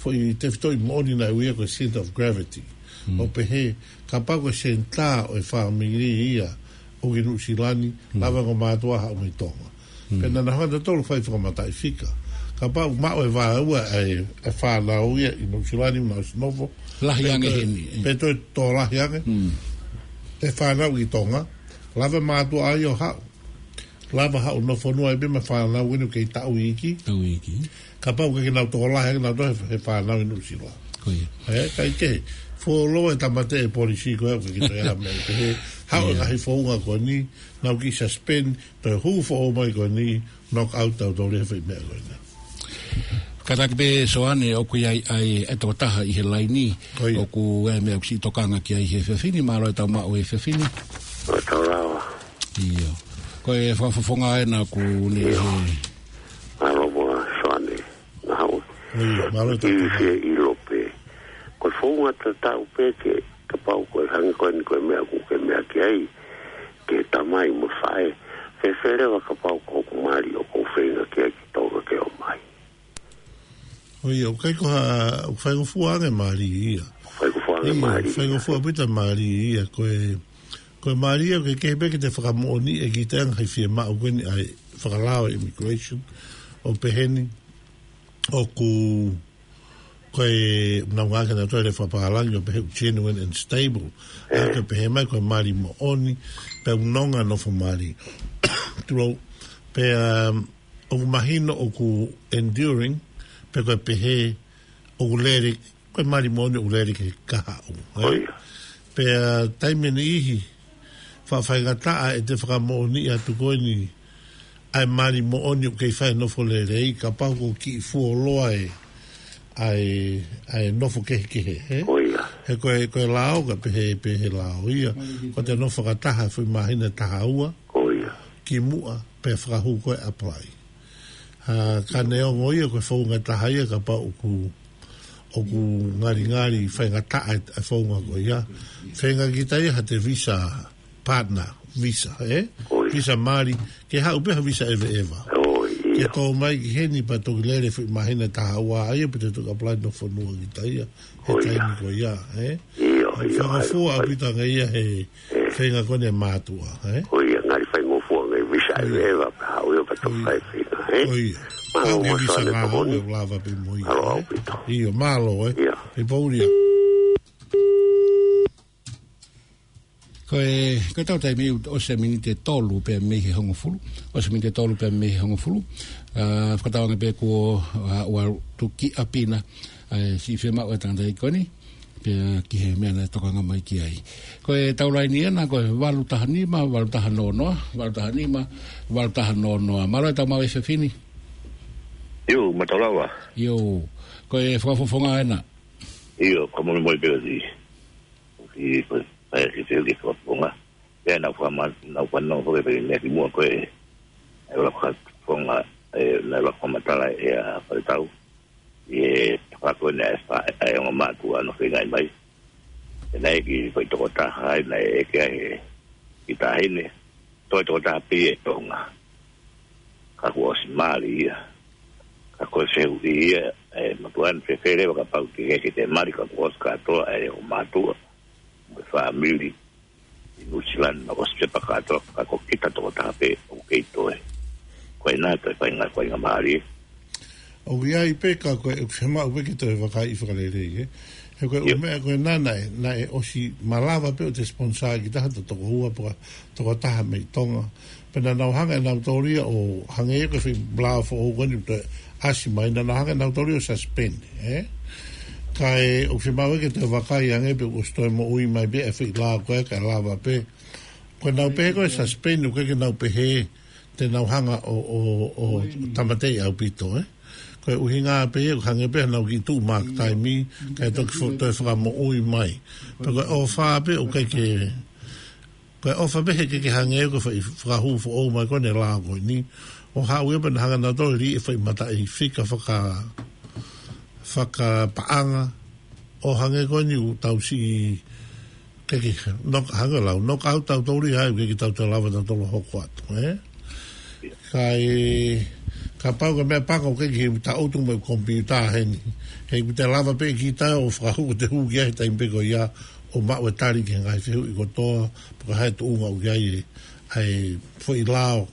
foʻi tefitoʻi moʻoni naʻe ui ia ko e center of gravity. Mm. ʻO pehē, kapau ko e senitā ʻo e fāmili ia ʻoku ʻi Nuʻusila ni, Mm. lava ko e mātuʻa haʻu mei Tonga. Mm. Pea naʻa nau hanga nautolu fai fakamataʻifika. Kapau maʻu e vāua ʻa e, e fānau ia ʻi Nuʻusila ni, nau ʻosi nofo. Lahi ange heni, ē. Pe toe tō lahi ange. Mm. E fānau ʻi Tonga. Lava mātuʻa ia ʻo haʻu. Lava haʻu ʻo nofonua ai pē mo e fānau ʻoku kei taʻu iiki. Taʻu iiki. Kapau ʻoku kei nau tō lahi ange, nau tō he, he fānau ʻi Nuʻusila. Ko ia. Ē, kae kehe, fuoloa e tāmateʻi e policy ko ē ʻoku kei toe ʻai mai pē he haʻu e Yeah. ngaahi founga ko eni, nau kiʻi suspend, toe hū foʻou mai ko eni, knock out tautolu he foʻi meʻa ko eni. Kātaki pē Soane ʻoku ʻi ai ʻa e, e tokotaha ʻi he laini, Ko ia. ʻoku ʻi ai e meʻa ʻoku siʻi tokanga ki ai he efiafi ni, mālō e tau maʻu he efiafi ni. Mālō e tau lava. ʻIo. Ko e fakafofonga ena ʻoku ne ʻIo. he Mālō mo Soane. Nau. ʻIo, mālō e tau Kiʻi fie ʻilo pē. Ko e founga tatau pē ke, kapau ko e hangē ko eni ko e meʻa ʻoku ke meʻa ki ai, ki he tamai mo e faʻē. Fēfē leva kapau ko hoku mali ʻoku ou feinga ki ai ki Tonga ke ʻomai. ʻIo, ʻoku ʻikai ko ha, ʻoku faingofua ange mali ia. Faingofua ange ʻIo, mali ia. faingofua pita mali ia, ko e, ko e mali ia, ʻoku kehe pē ke te fakamoʻoniʻi ʻe kita e ngaahi fiemaʻu ko eni ʻa e fakalao e immigration, ʻo pehē ni, ʻoku, ko e, nau ngāueʻaki ʻa e lea fakapālangi ʻo pehē ʻoku genuine and stable. ʻA ia ʻoku pehē mai ko e mali moʻoni, pea ʻoku nonga nofo mali. Tulou, pea, um, ʻoku mahino ʻoku enduring, pe ko e pehē ʻoku lele, ko e mali moʻoni ʻoku lele ki he kahaʻu, ē? ʻIo. Pea taimi ʻe niʻihi, faʻa faingataʻa ʻete fakamoʻoniʻi atu ko eni ʻa e mali moʻoni ʻoku kei fai e nofo lelei, kapau ʻoku kiʻi fuoloa e, ʻa e, ʻa e nofo kehekehe, ē? ʻIo. He ko e, ko e lao, ka pehē, pehē lao ia. Ko te nofo fakataha, foʻi māhina taha ua. Ko ia. Ki muʻa, pea fakahū ko e apply. Ha, ka neongo ia, ko e founga taha ia, kapau ʻoku, ʻoku ngalingali, faingataʻa e, e founga ko ia. Feinga kita ia, ha te visa partner, visa, ē? Ko ia. Visa mali, ke haʻu pē ha visa ʻeveʻeva. Ko ia. Ke tō mai ki heni pea toki lele foʻi māhina taha ua ia, pea te toki apply no fonua kita ia. He taimi ko ia, ē? ʻIo, ʻio, faingofua ʻaupito ange ia he feinga ko eni ʻa e mātuʻa, ē? Ko ia, ngali faingofua ange visa ʻeveʻeva pea haʻu ia pea toki fai feinga, ē? Ko ia. Mālō mo visa Soane ngā tokoni. ʻE lava pē mo ia, mālō ē? ʻAupito. ʻIo, mālō, ē? ʻIo. Pea pō ia. Ko e, ko e tau taimi ʻoku ʻosi e miniti ʻe tolu pea mei he hongofulu. ʻOsi e miniti ʻe tolu pea mei he hongofulu. ʻA, fakatauange pē kuo, ʻa, ʻoua tuki ʻapina. ʻA, siʻi fiemaʻu e tangataʻeiki ko eni. Pea ki he meʻa naʻe tokanga mai ki ai. Ko e tau laini ena, ko e valu taha nima, valu taha noa noa, valu taha nima, valu taha noa noa. Mālō e tau maʻu e efiafi ni. ʻIo, mālō lava. ʻIo, ko e fakafofonga ena. ʻIo, ko e molemole pē ʻosi. ʻOsi, ko e, ʻai ke te ke fakafofonga. Pea naʻa ku faka-, naʻa ku fanongo foki pē meʻa ki muʻa ko e, ʻa e ʻuluaki fakafofonga, ʻe, naʻe ʻuluaki fakamatala ʻe ʻa Faletau. ʻI he fakakone ʻa e fa-, ʻa e ongo mātuʻa ʻoku feinga mai. ʻE naʻe ʻi ai e kiʻi foʻi tokotaha ai, naʻe ʻeke ai ʻe he kiʻi taʻahine. Toe tokotaha pē ʻi Tonga. Ka kuo ʻosi mali ia. Ka ko e fehuʻi ia, ʻe, mātuʻa ni fēfē leva kapau te ke, ke te mali ka kuo ʻosi kātoa, ʻe, ongo mātuʻa. Mo e fāmili. ʻI Nuʻusila naʻe ʻosi pepa kātoa, ka ko kita tokotaha pē ʻoku kei toe. Ko ena toe fainga, faingamālie. ʻOku ʻi ai pē ka ko e, ʻoku fiemaʻu pē ke toe vakaiʻi fakalelei, ē. He ko e ʻū meʻa ko ena naʻe, naʻe ʻosi malava pē ʻo te sponsor kita ha tokoua pe ko ha tokotaha mei Tonga. Pea naʻa nau hanga ʻe nautolu ia ʻo hangē ko e foʻi lao foʻou ko eni ʻoku toe ʻasi mai, naʻa nau hanga ʻe nautolu ia ʻo suspend, ē? Kae ʻoku fiemaʻu ke toe vakai ange pe ʻoku ʻosi toe moʻui mai pē e foʻi lao ko ē kae lava pē. Ko ʻenau pehē ko e suspend ʻoku ʻikai ke nau pehē te nau hanga ʻo, ʻo, ʻo tāmateʻi ʻaupito, ē? Ko e ʻuhinga pē ia, hangē pē haʻanau kiʻi tuʻu mark time, kae toki fo-, toe fakamoʻui mai. Pea ko e ʻofa pē ʻoku ʻikai ke Ko e ʻofa pē he ʻikai ke hangē ko e foʻi fakahū foʻou mai ko eni e lao ko eni. ʻO haʻu ia pea na hanga nautolu ʻo lī e foʻi mataʻifika faka-, fakapaʻanga. ʻO hangē ko eni ʻoku tau siʻi ʻikai ke knock, hangē lau, knock out tautolu ia, ʻikai ke tau toe lava tautolu ʻo hoko atu, ē? Kae, kapau ko e meʻa pango ʻoku ʻikai ke taʻutu mo e komipiuta heni. He ʻoku te lava pē kita ʻo fakahū, ko te hū ki ai he taimi pē ko ia, ʻo maʻu e tali ki he ngaahi fehuʻi kotoa, pe ko e hā e tuʻunga ʻoku ʻi ai e, ʻa e foʻi lao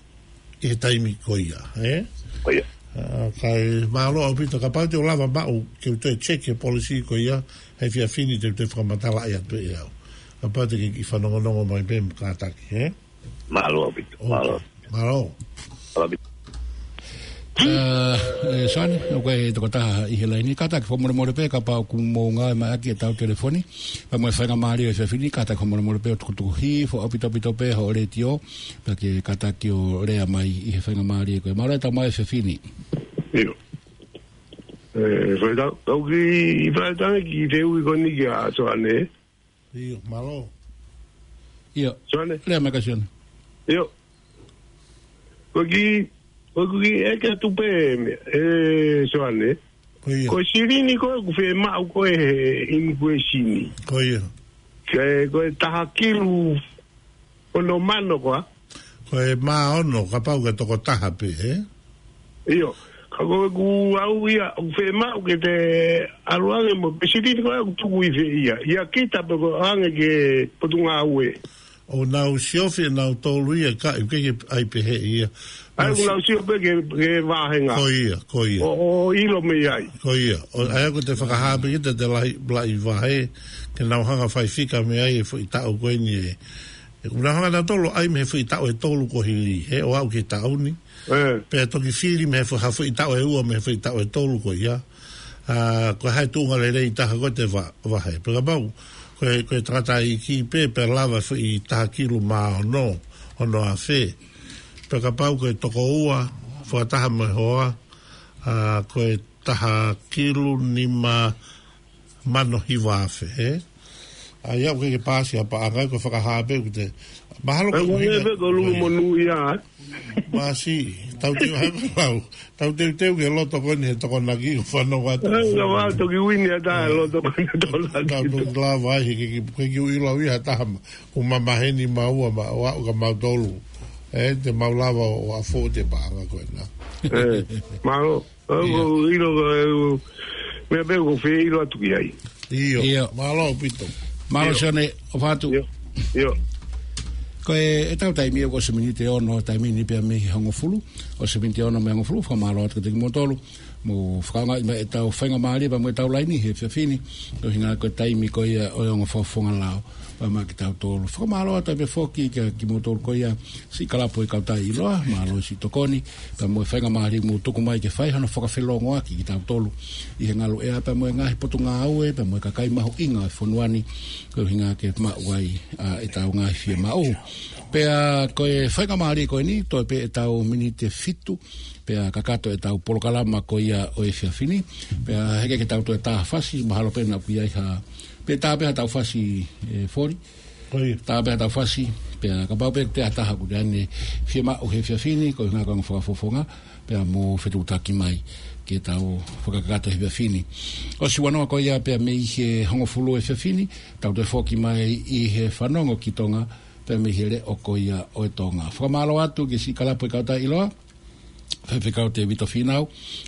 ʻi he taimi ko ia, ē? Ko ia. ʻA, kae mālō ʻaupito, kapau te u lava maʻu, ke u toe check e policy ko ia, he efiafi ni te u toe fakamatalaʻi atu pē ʻe au. Kapau te ke kiʻi fanongonongo mai pē mo kātaki, ē? Mālō ʻaupito, mālō. Mālō. Mālō ʻaupito. ʻA, ʻe, Soane, ʻoku ʻi ai e tokotaha ʻi he laini, kātaki fakamolemole pē, kapau ʻoku mou ngāue mai ʻaki e tau telefoni, pea mo e faingamālie ʻo e efiafi ni, kātaki fakamolemole pē ʻo tukutuku hifo ʻaupito ʻaupito pē hoʻo letiō, pea ke kātaki ʻo lea mai ʻi he faingamālie ko ē. Mālō e tau maʻu e efiafi ni. ʻIo. ʻE, Faletau, tau kiʻi, Faletau ki te ui ko eni kia Soane. ʻIo, mālō. ʻIo. Soane. Lea mai ka Soane. ʻIo. Ko e kiʻi, ko e kiʻi ʻeke atu pē, ʻe Soane. Ko ia. Ko e silini ko ē ʻoku fiemaʻu ko ē he immigration. Ko ia. Ke, ko e taha kilu ono mano ko ā. Ko e mā ono, kapau ko e tokotaha pē, ē? ʻIo. Ka ko ʻeku ʻalu ia, ʻoku fiemaʻu ke te ʻalu ange mo e silini ko ē ʻoku tuku ʻi fē ia. ʻIa kita pe ko e ʻange ki he Potungāue. ʻOku nau siofi ʻe nautolu ia ka ʻoku ʻikai ke ʻai pehē ia. ʻAi, ʻoku nau sio pē ki he, ki he vāhenga. Ko ia, ko ia. ʻO, ʻo ʻilo mei ai. Ko ia. ʻO, ʻa ia ʻoku te fakahā pē kita te lahi, lahi vahe, ke nau hanga fai fika mei ai e foʻi taʻu ko eni ē. ʻOku nau hanga nautolu ʻai mei he foʻi taʻu ʻe tolu kuo hili, ē, ʻo aʻu ki he taʻu ni. Ē. Pea toki fili mei he fo-, ha foʻi taʻu ʻe ua mei he foʻi taʻu ʻe tolu ko ia. ʻA, ko e hā e tuʻunga lelei taha ko ē te va-, vahe. Pea kapau, ko e, ko e tangataʻeiki pē, pea lava foʻi taha kilu mā ono, ono afe. Pea kapau ko e tokoua, fakataha mo e hoa, ʻa, ko e taha kilu nima mano hiva afe, ē? ʻA ia ʻoku ke paasi ʻa paʻanga ko e fakahā pē ʻoku te. Mahalo ko e ʻuhinga. Ko lulu monū ia. Paasi, tau teu hai lau. Tau teuteu ke loto ko eni he Tokonaki ʻo fanongo atu. Ai, ka vā toki uini ʻa taha loto ko eni Tokonaki. Tau toki lava ai, he ke, ke, ke kiu ilo au ia ha taha ma. Ko mamaheni maua ma, ʻo aʻu ka mautolu. ʻE, te mau lava ʻo, ʻo ʻafo te paʻanga ko ena. ʻE, mālō. Ko, ko, ʻilo, ko, meʻa pē ko fē ʻilo atu ki ai. ʻIo. ʻIo. Mālō ʻaupito. Mālō ʻIo. Sione, ʻo fatu. ʻIo. ʻIo. Ko e, ʻetau taimi ʻoku ʻosi miniti ʻe ono, taimi ni pea mei he hongofulu. ʻOsi miniti ʻe ono mei he hongofulu, fakamālō atu kiate kimoutolu. Mo fakaonga mai ʻetau faingamālie pea mo ʻetau laini he efiafi ni. Ko e ʻuhinga ko e taimi ko ia ʻo e ongo fakafofonga lao. Pea maʻa kitautolu. Fakamālō atu pē foki kia kimoutolu ko ia siʻi kalapu ʻo e Kautaha ʻIloa, mālō siʻi tokoni, pea mo e faingamālie mou tuku mai ke fai hano fakafelongoaki kitautolu ʻi he ngalu ʻea pea mo e ngaahi potungāue, pea mo e kakai mahuʻinga ʻo e fonua ni, ko e ʻuhinga ke maʻu ai ʻa ʻetau ngaahi fiemaʻu. Pea ko e faingamālie ko eni, toe pē ʻetau miniti ʻe fitu, pea kakato ʻetau polokalama ko ia ʻo e efiafi ni, pea heʻikai ke tau toe tā ha fasi, mahalo pē naʻa ʻoku ʻi ai ha, pe tā pē ha tau fasi, ʻe, Foli. Ko ia. Tā pē ha tau fasi, pea kapau pē ʻoku ʻi ai ha taha ʻoku ne fiemaʻu he efiafi ni, ko e ʻuhinga ko e ongo fakafofonga, pea mou fetuʻutaki mai ke tau fakakakato he efiafi ni. ʻOsi ua noa ko ia pea mei he hongofulu he efiafi ni, tau toe foki mai ʻi he fanongo ki Tonga, pea mei he leʻo ko ia ʻo e Tonga. Fakamālō atu ki siʻi kalapu ʻo e Kautaha ʻIloa, Faifekau Tēvita Fīnau,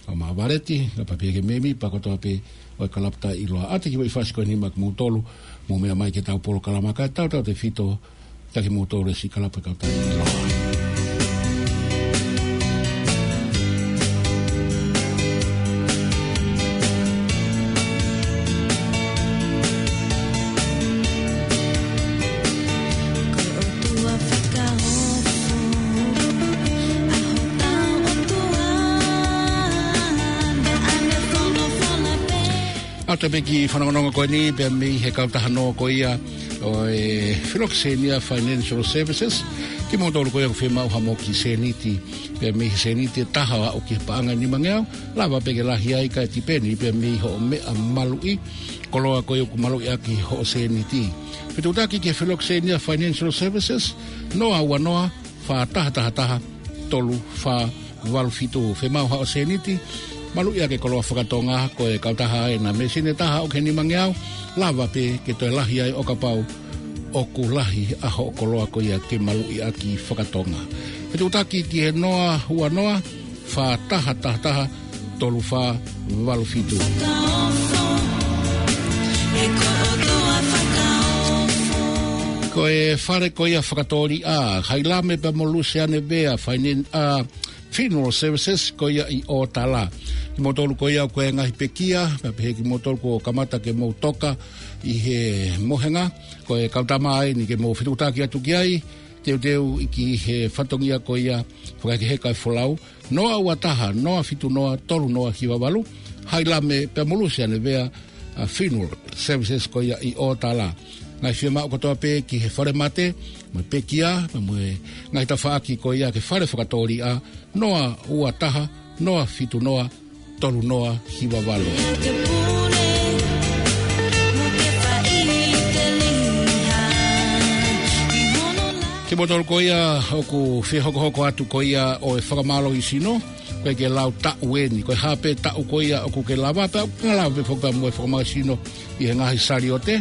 ʻa Mavaleti, ka pea pehē ki he mēmipa kotoa pē ʻo e kalapu ʻa e Kautaha ʻIloa. ʻAtā ki he foʻi fasi ko eni maʻa kimoutolu, mou meʻa mai ki heʻetau polokalama kae tautautefito kiate kimoutolu siʻi kalapu ʻo e Kautaha ʻIloa. ʻAtā pē ki he fanongonongo ko eni, pea mei he kautaha nō ko ia ʻo e Filokisenia Financial Services, kimoutolu ko ia ʻoku fiemaʻu ha moki sēniti, pea mei he sēniti ʻe taha ʻo aʻu ki he paʻanga ʻe nimangeau, lava pē ke lahi ai kae tipeni pea mei hoʻo meʻa maluʻi, koloa ko ia ʻoku maluʻi ʻaki hoʻo sēniti. Fetuʻutaki ki he Filokisenia Financial Services, noa ua noa, fā taha taha taha, tolu fā valu fitu. Fiemaʻu haʻo sēniti, maluʻi ʻaki e koloa fakatonga, ko e kautaha ena, mei he sēniti ʻe taha ʻo aʻu ki he nimangeau, lava pē ke toe lahi ai ʻo kapau ʻoku lahi ʻa hoʻo koloa ko ia ke maluʻi ʻaki fakatonga. Fetuʻutaki ki he noa ua noa, fā taha taha taha, tolu fā valu fitu. Ko e fale ko ia fakatōliʻa, Hailame pea mo Luseane Vea, Fainen-, ʻa, Funeral Services, ko ia ʻi ʻOtala. Kimoutolu ko ia ʻoku ʻi ai e ngaahi pekia, pea pehē kimoutolu kuo kamata ke mou toka ʻi he mohenga, ko e kautama eni ke mou fetuʻutaki atu ki ai, teuteu ʻi ki he fatongia ko ia, fakahekeheka e folau, noa ua taha, noa fitu noa, tolu noa hiva valu, Hailame pea mo Luseane Vea, ʻa, Funeral Services ko ia ʻi ʻOtala. Ngaahi fiemaʻu kotoa pē ki he fale mate, mo e pekia, mo e ngaahi tafaʻaki ko ia ki he fale fakatōliʻa, noa ua taha, noa fitu noa, tolu noa hiva valu. Kimoutolu ko ia ʻoku fie hokohoko atu ko ia ʻo e fakamālohisino, ko e ke lau taʻu eni, ko e hā pē taʻu ko ia ʻoku ke lava, pea ʻoku ke lava pē foki mo e fakamālohisino ʻi he ngaahi saliote,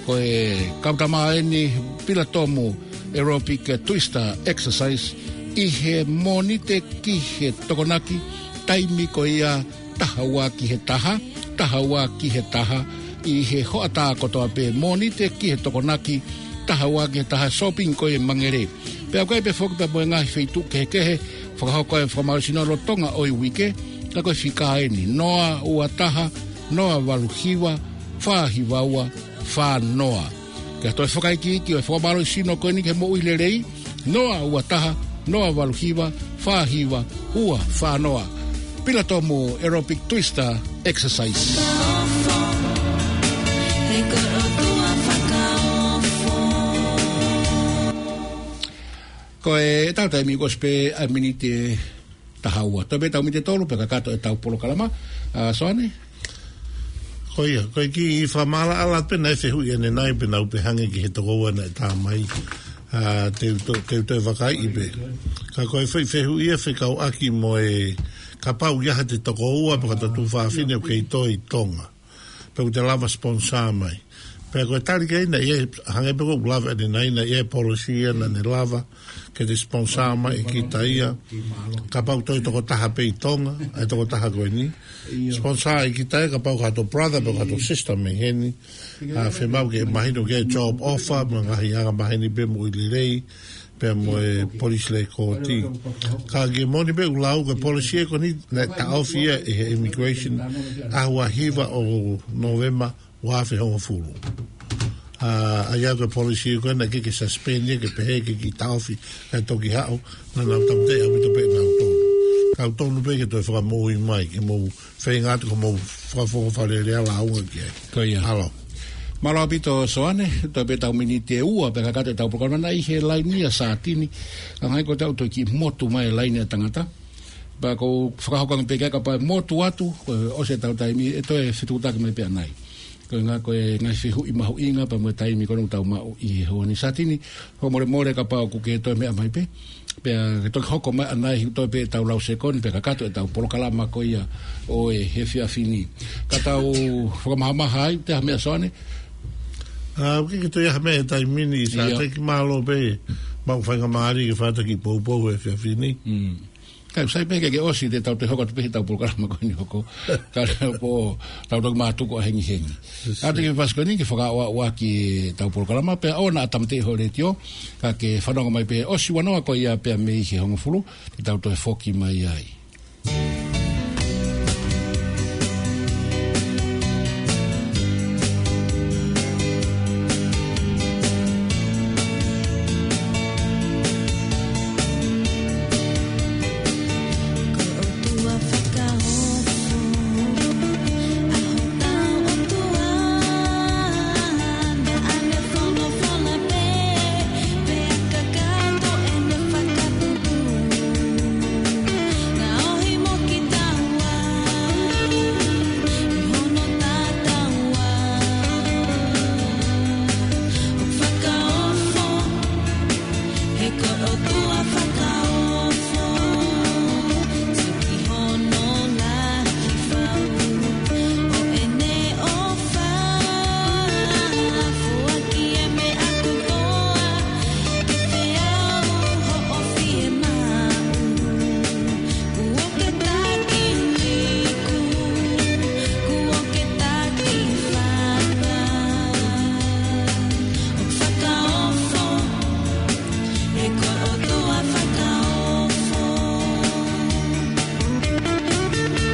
ko e kautama eni Pilatomu Aerobic Twister Exercise, ʻi he Mōnite ki he Tokonaki, taimi ko ia taha ua ki he taha, taha ua ki he taha, ʻi he hoʻatā kotoa pē, Mōnite ki he Tokonaki, taha ua ki he taha, shopping ko e Mangere. Pea ʻoku ʻi ai pē foki pea mo e ngaahi feituʻu kehekehe, fakahoko e fakamālohisino lolotonga ʻo e uike, ka ko e fika eni, noa ua taha, noa valu hiva, fā hiva ua, fā noa. Ke toe fakaikiiki ʻo e fakamālohisino ko eni ki he moʻui lelei, noa ua taha, noa valu hiva, fā hiva, ua fā noa. Pilatomu Aerobic Twister Exercise. Ko e tau taimi kuo ʻosi pē ʻa e miniti ʻe taha ua. Toe pē ʻetau miniti ʻe tolu, pea kakato ʻetau polokalama. ʻA, Soane? Ko ia, ko e kiʻi fakamaʻalaʻala pē naʻe fehuʻi ʻanenai pē naʻa ku pehē ange ki he tokoua naʻe tā mai. ʻA, te u to-, te u toe vakaiʻi pē. Ka ko e fe-, fehuʻi ia fekauʻaki mo e kapau ʻe ʻi ai haʻate tokoua pe ko haʻate tuofāfine ʻoku kei tō ʻi Tonga. Pe ʻoku te lava sponsor mai. Pea ko e tali ki ai naʻe, hangē pē ko ʻeku lave ʻanenai naʻe ʻi ai e policy ia naʻa ne lava ke te sponsor mai ʻe kita ia. Kapau toe tokotaha pē ʻi Tonga, ʻa e tokotaha ko eni. Sponsor ʻe kita ia, kapau ko hato brother pe ko hato sister mei heni. ʻA, fiemaʻu ke mahino ki he job offer, mo e ngaahi angamaheni pea mo e lelei, pea mo e police record. Ka ke moʻoni pē ʻoku lau ko e policy ko eni naʻe taʻofi ia ʻe he immigration ʻaho ua hiva ʻo November ua afe hongofulu. ʻA, ʻa ia ko e policy ko ē naʻe ʻikai ke suspend ia ke pehē ke kiʻi taʻofi kae toki haʻu, naʻa nau tāmateʻi ʻaupito pē ʻe nautolu. Ka ʻoku tonu pē ke toe fakamoʻui mai ke mou feinga atu ko hoʻomou fakafofonga fakalelei ʻa lāunga ki ai. Ko ia. ʻAlo. Mālō ʻaupito Soane, toe pē ʻetau miniti ʻe ua pea kakato ʻetau polokalama. Naʻe ʻi he laini ʻa Sātini, ka hangē ko ʻetau toe kiʻi motu mai e laini ʻa e tangata. Pea ʻoku ou fakahoko ange pē ke kapau ʻe motu atu, ko e ʻosi ʻetau taimi, ʻe toe fetuʻutaki mai pē ʻanai. Ko e ngaahi, ko e ngaahi fehuʻi mahuʻinga pea mo e taimi ko ē ʻoku tau maʻu ʻi he ʻaho ni Sātini, fakamolemole kapau ʻoku ke toe meʻa mai pē. Pea ke toki hoko mai ʻanai ʻi he toe pē ʻetau lau sekoni, pea kakato ʻetau polokalama ko ia ʻo e efiafi ni. Ka tau fakamahamaha ai, ʻoku ʻi ai ha meʻa Soane? ʻA, ʻoku ʻikai ke toe ʻi ai ha meʻa he taimi ni, Sā. Ia. Teki mālō pē, maʻu faingamālie ke fai ha kiʻi poupou he efiafi ni. Mm. Kae sai pē ke ke ʻosi te tau toe hoko atu pē he ʻetau polokalama ko eni hoko. Ka le po, tau toki mātuku ʻa hengihengi. Sai. Ka te ke fasi ko eni ke fakaʻoaʻoa ki heʻetau polokalama, pea ʻoua naʻa tāmateʻi ho letiō, ka ke fanongo mai pē ʻosi ua noa ko ia pea mei he hongofulu, te tau toe foki mai ai.